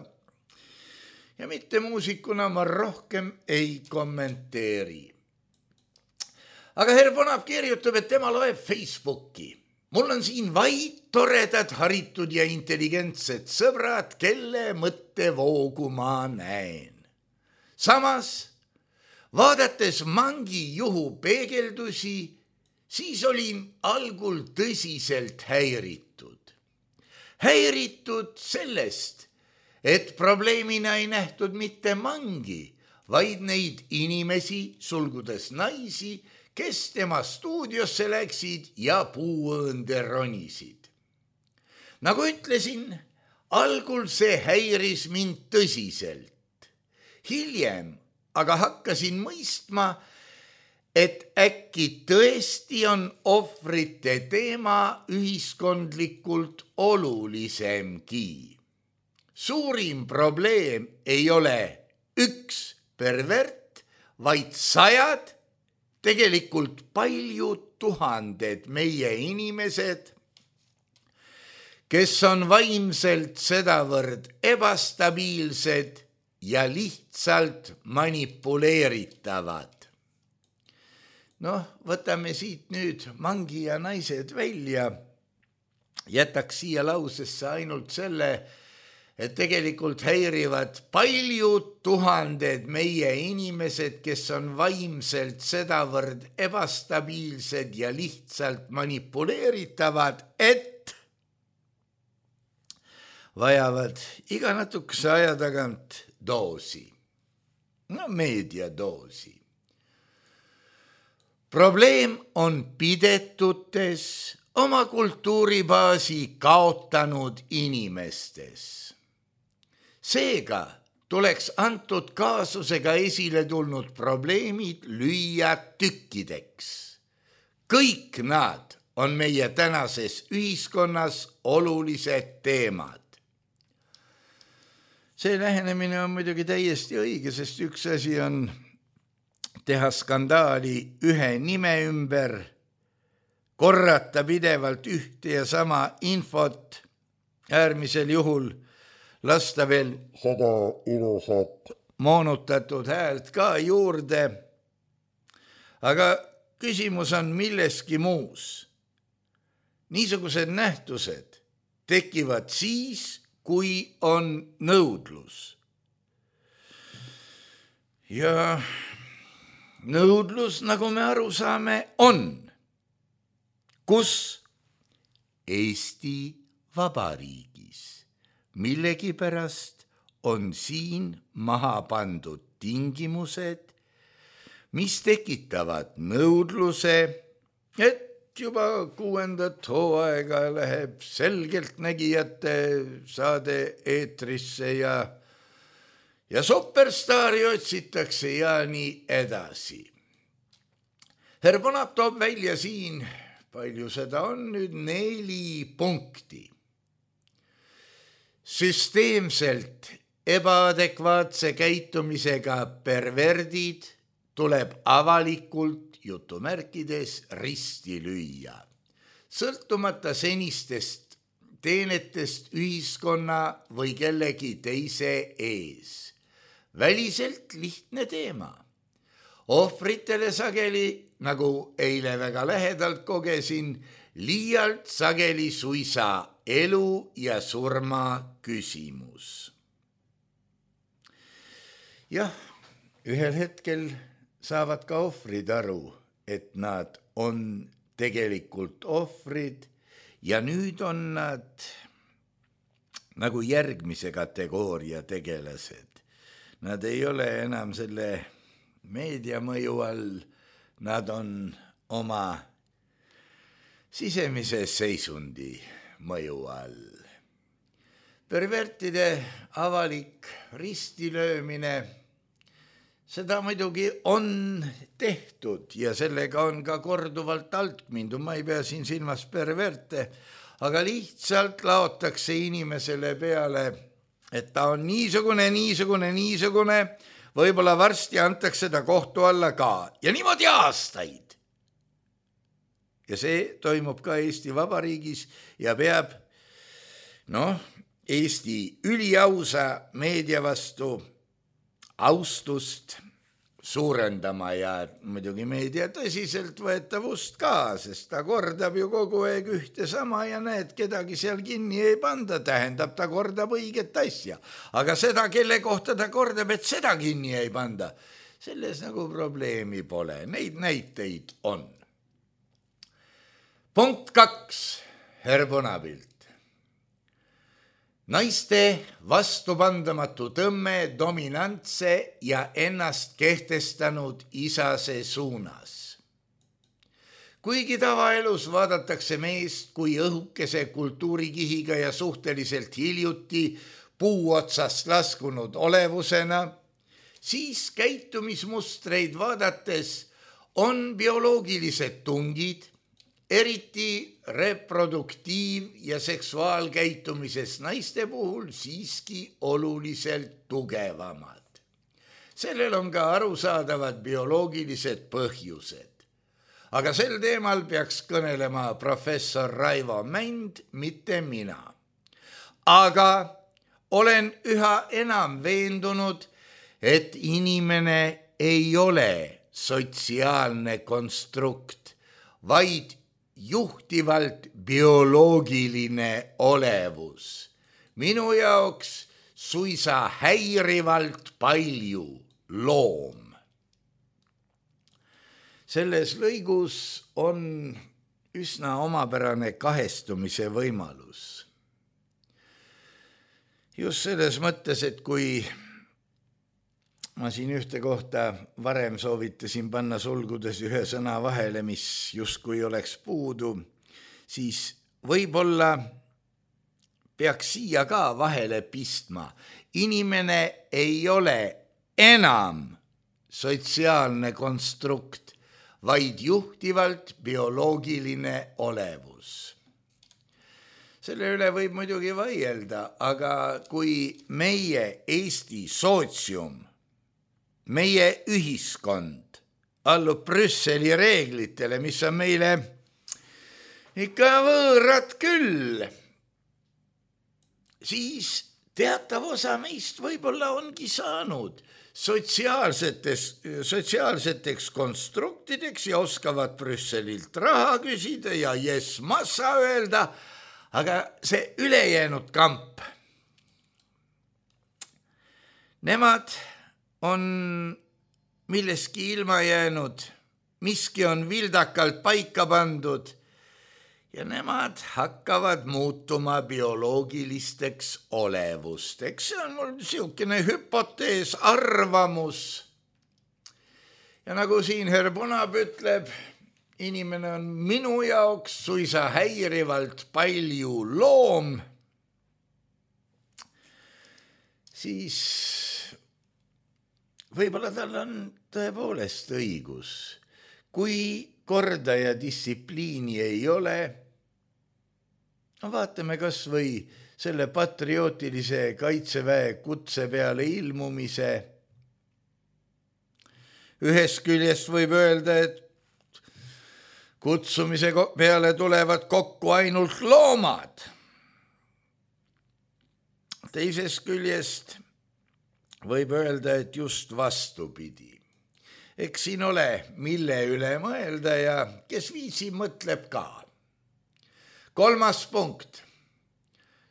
S3: mitte muusikuna ma rohkem ei kommenteeri. Aga herr Punap kirjutab, et tema loeb Facebooki. Mul on siin vaid toredad, haritud ja intelligentsed sõbrad, kelle mõttevoogu ma näen. Samas vaadates Mangi juhu peegeldusi, siis olin algul tõsiselt häiritud. Häiritud sellest, et probleemina ei nähtud mitte Mangi, vaid neid inimesi, sulgudes naisi, kes tema stuudiosse läksid ja puuõõnde ronisid. Nagu ütlesin, algul see häiris mind tõsiselt. Hiljem aga hakkasin mõistma, et äkki tõesti on ohvrite teema ühiskondlikult olulisemgi. Suurim probleem ei ole üks pervert, vaid sajad, tegelikult paljud tuhanded meie inimesed, kes on vaimselt sedavõrd ebastabiilsed ja lihtsalt manipuleeritavad. Noh, võtame siit nüüd mangi ja naised välja. Jätaks siia lausesse ainult selle, et tegelikult häirivad paljud tuhanded meie inimesed, kes on vaimselt sedavõrd ebastabiilsed ja lihtsalt manipuleeritavad, et vajavad iga natukese aja tagant doosi. No meediadoosi. Probleem on pidetutes, oma kultuuribaasi kaotanud inimestes. Seega tuleks antud kaasusega esile tulnud probleemid lüüa tükkideks. Kõik nad on meie tänases ühiskonnas olulised teemad. See lähenemine on muidugi täiesti õige, sest üks asi on teha skandaali ühe nime ümber, korrata pidevalt ühte ja sama infot, äärmisel juhul lasta veel seda ilusat moonutatud häält ka juurde. Aga küsimus on milleski muus. Niisugused nähtused tekivad siis, kui on nõudlus. Ja nõudlus, nagu me aru saame, on, kus Eesti Vabariigis millegipärast on siin maha pandud tingimused, mis tekitavad nõudluse, et juba 6. hooaega läheb selgeltnägijate saade eetrisse ja superstaari otsitakse ja nii edasi. Herr Bonap toob välja siin, palju seda on nüüd, 4 punkti. Süsteemselt ebaadekvaatse käitumisega perverdid tuleb avalikult jutumärkides risti lüüa, sõltumata senistest teenetest ühiskonna või kellegi teise ees. Väliselt lihtne teema. Ohvritele sageli, nagu eile väga lähedalt kogesin, liialt sageli suisa elu ja surma küsimus. Jah, ühel hetkel saavad ka ohvrid aru, et nad on tegelikult ohvrid ja nüüd on nad nagu järgmise kategooria tegelased. Nad ei ole enam selle meediamõju all, nad on oma sisemise seisundi mõju all. Pervertide avalik ristilöömine, seda muidugi on tehtud ja sellega on ka korduvalt alt mindud. Ma ei pea siin silmas perverte, aga lihtsalt laotakse inimesele peale, et ta on niisugune, võib-olla varsti antakse ta kohtu alla ka ja niimoodi aastaid. Ja see toimub ka Eesti Vabariigis ja peab Eesti üliausa meedia vastu austust suurendama ja muidugi meedia tõsiseltvõetavust ka, sest ta kordab ju kogu aeg ühte sama ja näed, kedagi seal kinni ei panda, tähendab, ta kordab õiget asja. Aga seda, kelle kohta ta kordab, et seda kinni ei panda, selles nagu probleemi pole. Neid näiteid on. Punkt 2, Herr Bonapilt. Naiste vastupandamatu tõmme dominantse ja ennast kehtestanud isase suunas. Kuigi tavaelus vaadatakse meest kui õhukese kultuurikihiga ja suhteliselt hiljuti puu otsast laskunud olevusena, siis käitumismustreid vaadates on bioloogilised tungid, eriti reproduktiiv- ja seksuaalkäitumises naiste puhul siiski oluliselt tugevamad. sellel on ka arusaadavad bioloogilised põhjused. Aga sel teemal peaks kõnelema professor Raivo Mänd, mitte mina. Aga olen üha enam veendunud, et inimene ei ole sotsiaalne konstrukt, vaid juhtivalt bioloogiline olevus. Minu jaoks suisa häirivalt palju loom. Selles lõigus on üsna omapärane kahestumise võimalus. Just selles mõttes, et kui ma siin ühte kohta varem soovitasin panna sulgudes ühe sõna vahele, mis justkui oleks puudu, siis võib-olla peaks siia ka vahele pistma. Inimene ei ole enam sotsiaalne konstrukt, vaid juhtivalt bioloogiline olevus. Selle üle võib muidugi vaielda, aga kui meie Eesti sootsium, meie ühiskond allub Brüsseli reeglitele, mis on meile ikka võõrad küll, siis teatav osa meist võib-olla ongi saanud sotsiaalseteks konstruktideks ja oskavad Brüsselilt raha küsida ja yes massa öelda, aga see ülejäänud kamp, nemad on milleski ilma jäänud, miski on vildakalt paika pandud ja nemad hakkavad muutuma bioloogilisteks olevusteks. See on mul niisugune hüpotees, arvamus. Ja nagu siin Herr Punab ütleb, inimene on minu jaoks suisa häirivalt palju loom, siis võib-olla tal on tõepoolest õigus. Kui korda ja distsipliini ei ole, vaatame kas või selle patriootilise kaitseväe kutse peale ilmumise. Ühest küljest võib öelda, et kutsumise peale tulevad kokku ainult loomad. Teisest küljest võib öelda, et just vastupidi. Eks siin ole, mille üle mõelda ja kes viisi mõtleb ka. 3. punkt.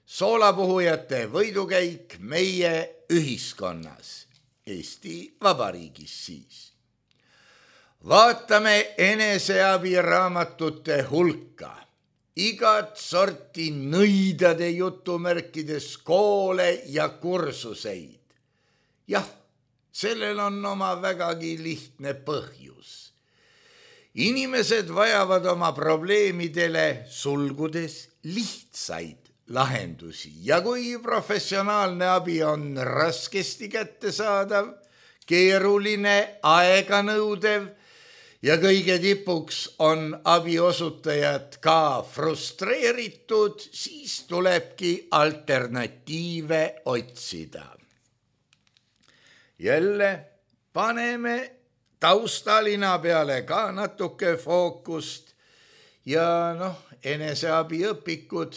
S3: Soolapuhujate võidukäik meie ühiskonnas, Eesti Vabariigis siis. Vaatame eneseabiraamatute hulka. Igat sorti nõidade jutumärkides koole ja kursuseid. Jah, sellel on oma vägagi lihtne põhjus. Inimesed vajavad oma probleemidele sulgudes lihtsaid lahendusi ja kui professionaalne abi on raskesti kättesaadav, keeruline, aeganõudev ja kõige tipuks on abiosutajad ka frustreeritud, siis tulebki alternatiive otsida. Jälle paneme taustalina peale ka natuke fookust ja eneseabiõpikud,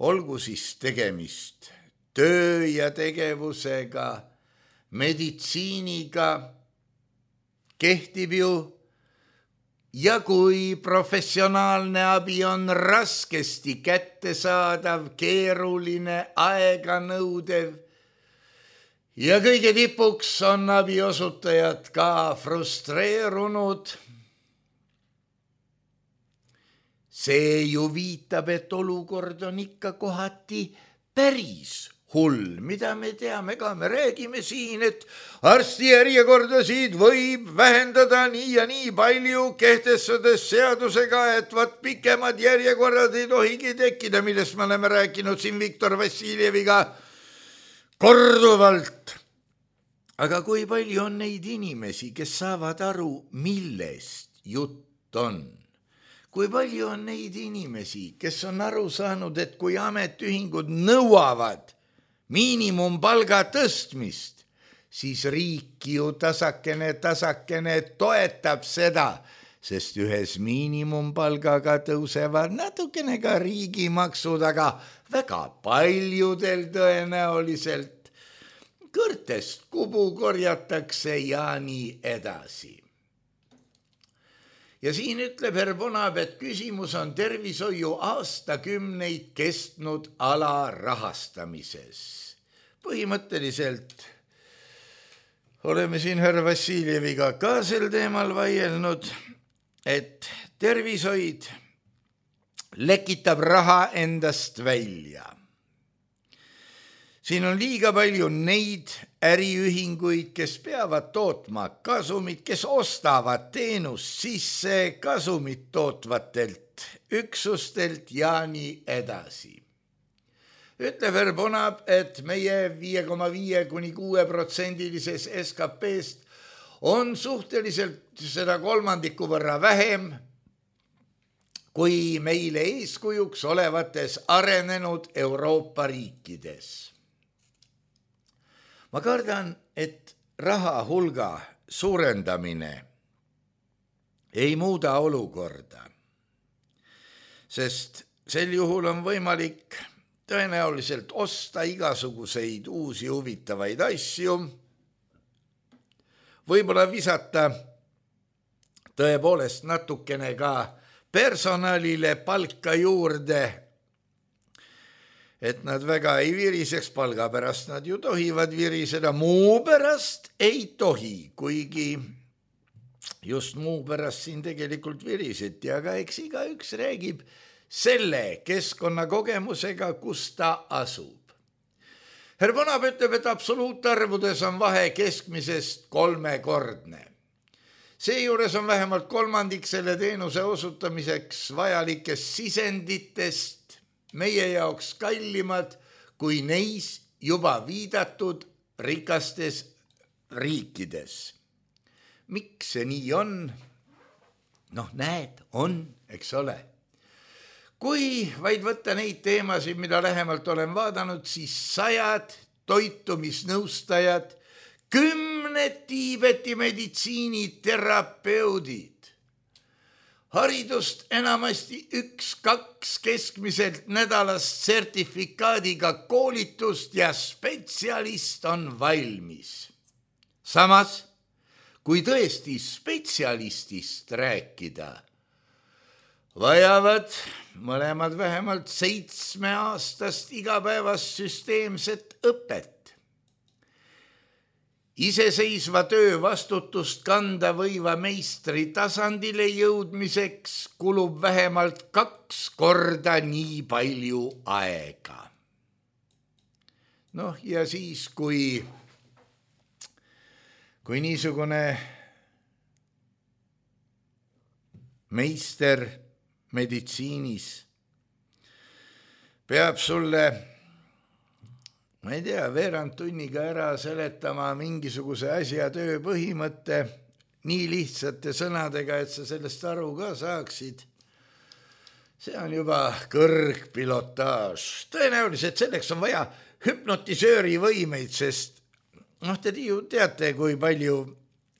S3: olgu siis tegemist töö ja tegevusega, meditsiiniga, kehtib ju ja kui professionaalne abi on raskesti kättesaadav, keeruline, aeganõudev ja kõige tipuks on abiosutajad ka frustreerunud. See ju viitab, et olukord on ikka kohati päris hull, mida me teame ka, me räägime siin, et arstijärjekordasid võib vähendada nii ja nii palju, kehtestades seadusega, et pikemad järjekorrad ei tohigi tekkida, millest me oleme rääkinud siin Viktor Vassiljeviga korduvalt. Aga kui palju on neid inimesi, kes saavad aru, millest jutt on? Kui palju on neid inimesi, kes on aru saanud, et kui ametiühingud nõuavad miinimumpalga tõstmist, siis riik ju tasakene toetab seda, sest ühes miinimumpalgaga tõusevad natukene ka riigimaksud, aga väga paljudel tõenäoliselt kõrtest kubu korjatakse ja nii edasi. Ja siin ütleb Herr Vonab, et küsimus on tervishoiu aastakümneid kestnud alarahastamises. Põhimõtteliselt oleme siin Herr Vassiljeviga ka sel teemal vaielnud, et tervishoid lekitab raha endast välja. Siin on liiga palju neid äriühinguid, kes peavad tootma kasumit, kes ostavad teenust sisse kasumit tootvatelt üksustelt ja nii edasi. Ütleb Herr Vonab, et meie 5,5–6% SKP-st on suhteliselt seda kolmandiku võrra vähem kui meile eeskujuks olevates arenenud Euroopa riikides. Ma kardan, et raha hulga suurendamine ei muuda olukorda, sest sel juhul on võimalik tõenäoliselt osta igasuguseid uusi huvitavaid asju, võib-olla visata tõepoolest natukene ka personalile palka juurde, et nad väga ei viriseks, palga pärast nad ju tohivad viriseda, muu pärast ei tohi, kuigi just muu pärast siin tegelikult viriseti, aga eks igaüks räägib selle keskkonnakogemusega, kus ta asub. Herr Vonab ütleb, et absoluutarvudes on vahe keskmisest 3-kordne. Seejuures on vähemalt kolmandik selle teenuse osutamiseks vajalikest sisenditest meie jaoks kallimad kui neis juba viidatud rikastes riikides. Miks see nii on? Näed, on, eks ole. Kui vaid võtta neid teemasid, mida lähemalt olen vaadanud, siis 100 toitumisnõustajad, 10 Tiibeti meditsiiniterapeudid, haridust enamasti 1-2 keskmiselt nädalast sertifikaadiga koolitust ja spetsialist on valmis. Samas, kui tõesti spetsialistist rääkida, vajavad mõlemad vähemalt 7-aastast igapäevast süsteemset õpet. Iseseisva töö vastutust kanda võiva meistri tasandile jõudmiseks kulub vähemalt 2 korda nii palju aega. Ja siis, kui niisugune meister meditsiinis peab sulle, ma ei tea, veerand tunniga ära seletama mingisuguse asja töö põhimõtte nii lihtsate sõnadega, et sa sellest aru ka saaksid. See on juba kõrgpilotaaž. Tõenäoliselt selleks on vaja hüpnotisööri võimeid, sest te ju teate, kui palju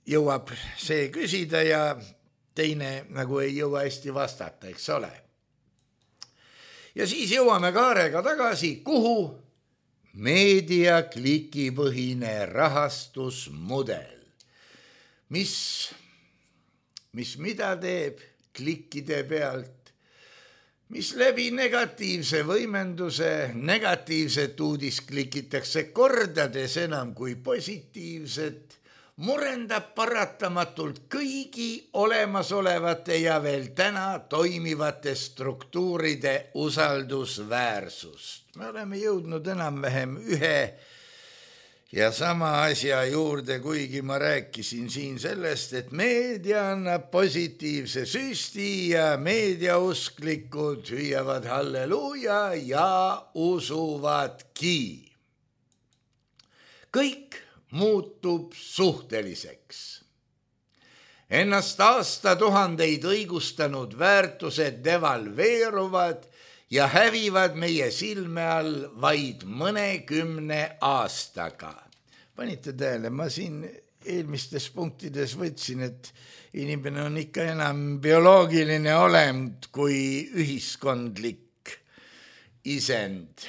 S3: jõuab see küsida ja teine nagu ei jõua hästi vastata, eks ole. Ja siis jõuame kaarega tagasi, kuhu? Meediaklikipõhine rahastusmudel, mis mida teeb klikkide pealt, mis läbi negatiivse võimenduse negatiivset uudist klikitakse kordades enam kui positiivset, murendab paratamatult kõigi olemasolevate ja veel täna toimivate struktuuride usaldusväärsust. Me oleme jõudnud enam-vähem ühe ja sama asja juurde, kuigi ma rääkisin siin sellest, et meedia annab positiivse süsti ja meediausklikud hüüavad halleluuja ja usuvadki. Kõik muutub suhteliseks. Ennast aastatuhandeid õigustanud väärtused devalveeruvad ja hävivad meie silme all vaid mõnekümne aastaga. panite tähele, ma siin eelmistes punktides võtsin, et inimene on ikka enam bioloogiline olend kui ühiskondlik isend.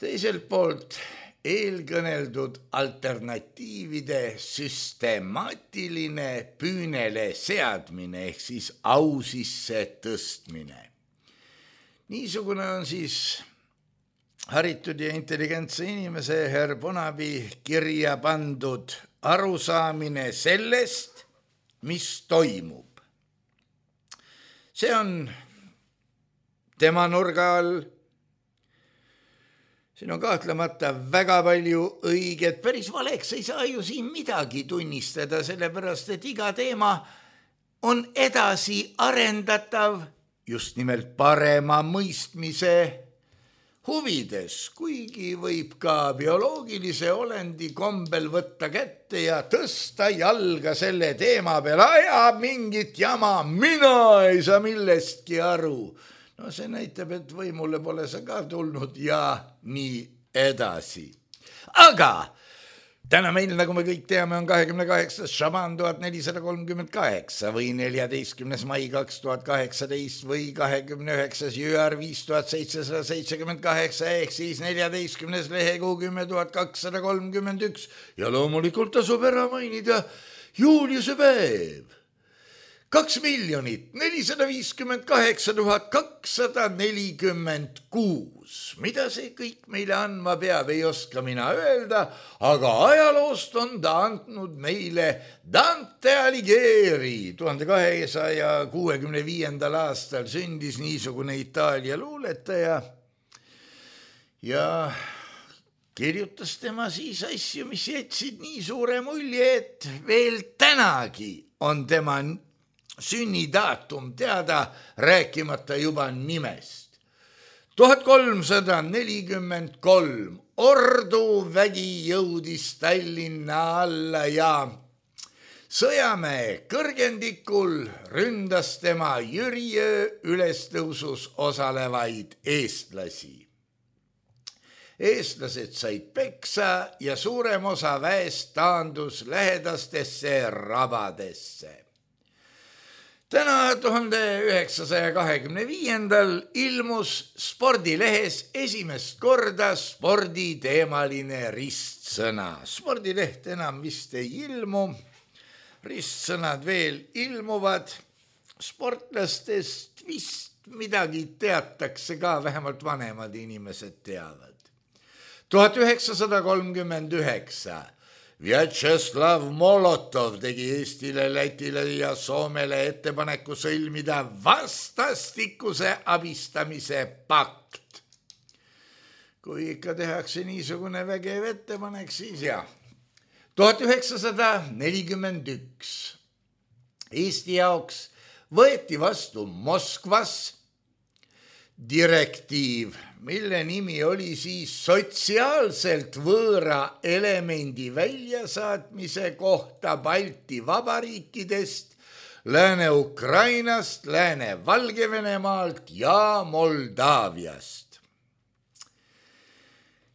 S3: Teiselt poolt eelkõneldud alternatiivide süstemaatiline püünele seadmine ehk siis au sisse tõstmine. Niisugune on siis haritud ja intelligentse inimese Herr Bonavi kirja pandud arusaamine sellest, mis toimub. See on tema nurga all. Siin on kahtlemata väga palju õiget, päris valeks ei saa ju siin midagi tunnistada, sellepärast et iga teema on edasi arendatav just nimelt parema mõistmise huvides, kuigi võib ka bioloogilise olendi kombel võtta kätte ja tõsta jalga selle teema peal, ajab mingit jama, mina ei saa millestki aru. No see näitab, et võimule pole sa ka tulnud ja nii edasi. Aga täna meil, nagu me kõik teame, on 28. Šaban 1438 või 14. mai 2018 või 29. jüär 5778 ehk siis 14. lehekuu 10.231 ja loomulikult tasub ära mainida Juliuse päev. 2 458 246. Mida see kõik meile andma peab, ei oska mina öelda, aga ajaloost on ta andnud meile Dante Alighieri. 1265. aastal sündis niisugune Itaalia luuletaja ja kirjutas tema siis asju, mis jätsid nii suure mulje, et veel tänagi on tema sünnidaatum teada, rääkimata juba nimest. 1343 orduvägi jõudis Tallinna alla ja Sõjamäe kõrgendikul ründas tema Jüriöö ülestõusus osalevaid eestlasi. Eestlased said peksa ja suurem osa väest taandus lähedastesse rabadesse. Täna 1925. ilmus spordilehes esimest korda sporditeemaline ristsõna. Spordileht enam vist ei ilmu, ristsõnad veel ilmuvad. Sportlastest vist midagi teatakse ka, vähemalt vanemad inimesed teavad. 1939. Vjatšeslav Molotov tegi Eestile, Lätile ja Soomele ettepaneku sõlmida vastastikuse abistamise pakt. Kui ikka tehakse niisugune vägev ettepanek, siis jah. 1941. Eesti jaoks võeti vastu Moskvas direktiiv, mille nimi oli siis sotsiaalselt võõra elemendi väljasaatmise kohta Balti vabariikidest, Lääne-Ukrainast, Lääne-Valgevenemaalt ja Moldaaviast.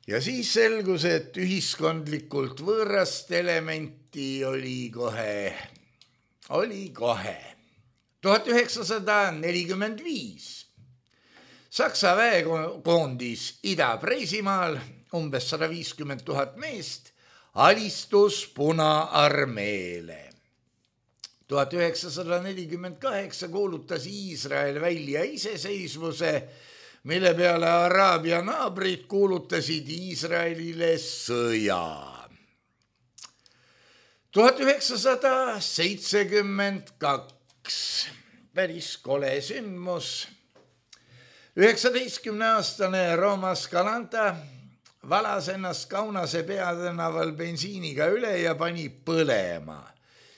S3: Ja siis selgus, et ühiskondlikult võõrast elementi oli kohe. 1945. Saksa väekoondis Ida-Preisimaal, umbes 150 000 meest, alistus Punaarmeele. 1948 kuulutas Iisrael välja iseseisvuse, mille peale Araabia naabrid kuulutasid Iisraelile sõja. 1972, päris kole sündmus. 19-aastane Roma Scalanta valas ennast Kaunase peatänaval bensiiniga üle ja pani põlema.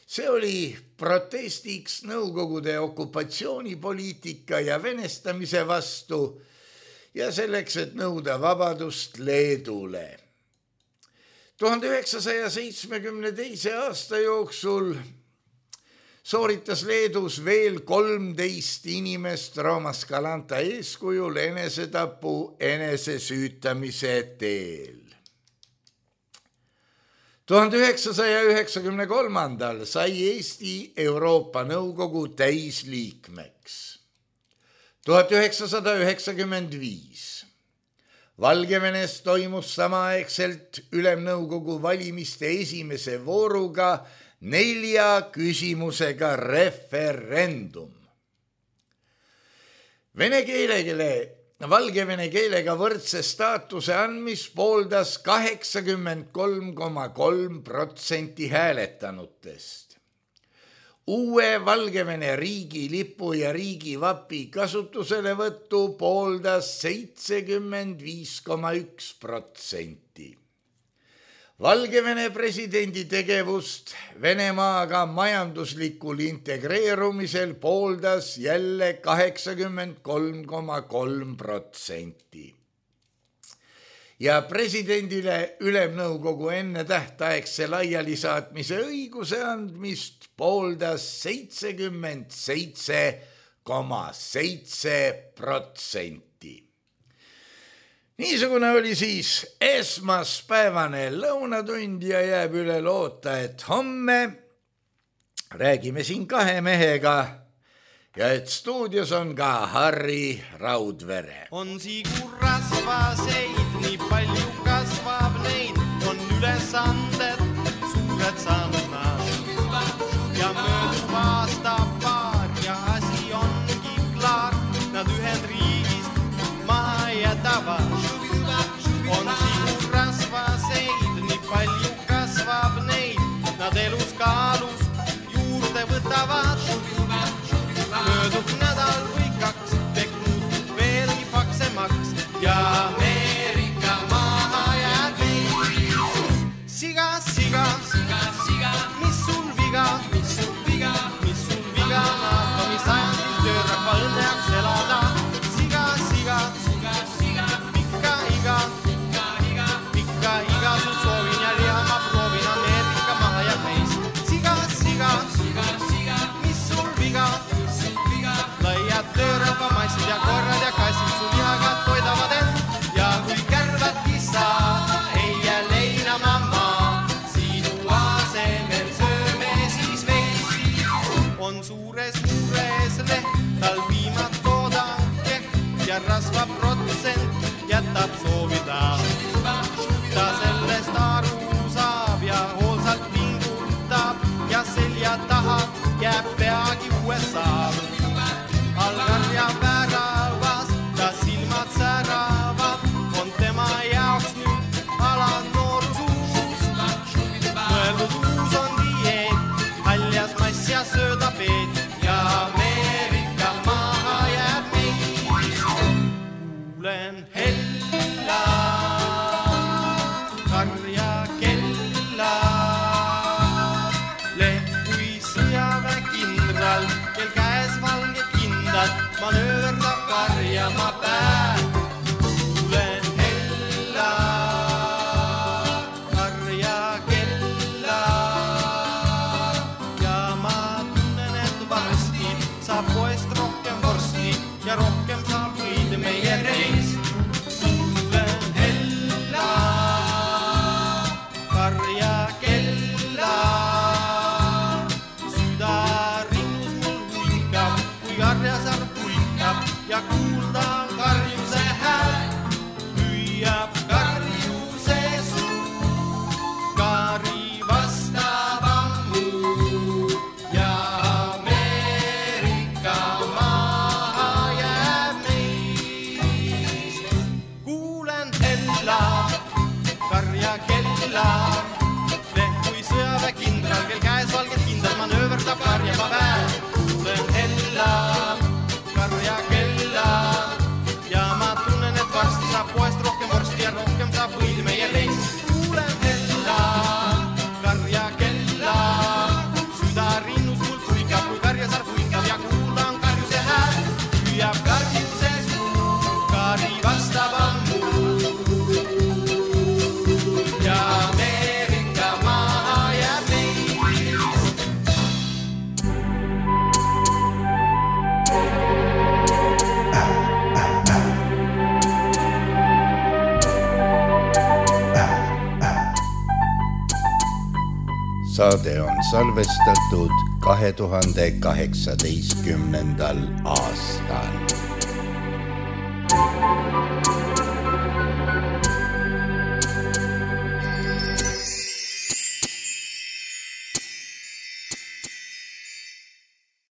S3: See oli protestiks Nõukogude okupatsioonipoliitika ja venestamise vastu ja selleks, et nõuda vabadust Leedule. 1972. aasta jooksul sooritas Leedus veel 13 inimest Roma Scalanta eeskujul enesetapu enesesüütamise teel. 1993 sai Eesti Euroopa Nõukogu täisliikmeks. 1995 Valgevenes toimus samaaegselt Ülemnõukogu valimiste esimese vooruga 4 küsimusega referendum. Vene keelele valgevene keelega võrdse staatuse andmist pooldas 83,3% hääletanutest. Uue Valgevene riigilipu ja riigivapi kasutuselevõttu pooldas 75,1%. Valgevene presidendi tegevust Venemaaga majanduslikul integreerumisel pooldas jälle 83,3%. Ja presidendile Ülemnõukogu enne tähtaegse laialisaatmise õiguse andmist pooldas 77,7%. Niisugune oli siis esmaspäevane lõunatund ja jääb üle loota, et homme räägime siin 2 mehega ja et stuudios on ka Harri Raudvere.
S4: On siigur rasvaseid, nii palju kasvab neid, on ülesanded suured saanud nad. Ja möödub aasta paar ja asi ongi klaar, nad Ühendriigist maha jätavad. On siigur rasvaseid, nii palju kasvab neid, nad elus kaalus juurde võtavad. Möödub nädal või 2, teknud veelgi paksemaks ja Ameerika maha jääb meil. Siga, siga, siga, siga, mis sul viga, mis sul viga, mis sul viga, NATO mis sajandil töörahva õnneaks elada. Siga, siga, siga, siga, pikka iga, pikka iga, sul soovin ja liha ma proovin, Ameerika maha jääb meis. Siga, siga, siga, siga, mis sul viga, laiad töörahva massid ja korrad ja kassid sul lihaga toidavad end. Ja kui kärvad kissad, ei jää leina mamma, sinu asemel sööme siis veisi. On suures mures leht, tal viimad toodanke ja rasvaprotsent jätab soovida. Ta sellest aru saab ja hoolsalt pingutab ja selja taha jääb peagi USA. Algar ja väravas, ta silmad säravad, on tema jaoks nüüd ala noorusuus. Mõeldud uus on dieet, haljas mass ja söödapeet ja Ameerika maha jääb meid. Kuulen hella, karja kella, leht kui sõjaväekindral, kel käes valge manööverdab karjama päev. Kuulen hella, karja kella ja ma tunnen, et varsti saab poest rohkem vorsti ja rohkem saab võid meie reis. Kuulen hella, karja kella, süda rinnus mul huikab, kui karjas arv ja kuulda karjuse hääl, hüüab karjuse suu, kari vastab ammu ja Ameerika maha jääb meist. Kuulen hella, karja kella, leht kui sõjaväekindral, kel käes valged kindel manööverdab karjama väel. Kuulen hella, karja kella ja ma tunnen, et varsti saab poest rohkem vorsti ja rohkem saab võid meie reis. Kuulen hella, karja kella, süda rinnus mul tuikab, kui karjasar puikab ja kuulan karjuse hääl, hüüab karjuse suu, kari vastab ammu ja Ameerika maha jääb meist.
S3: saade on salvestatud 2018. aastal.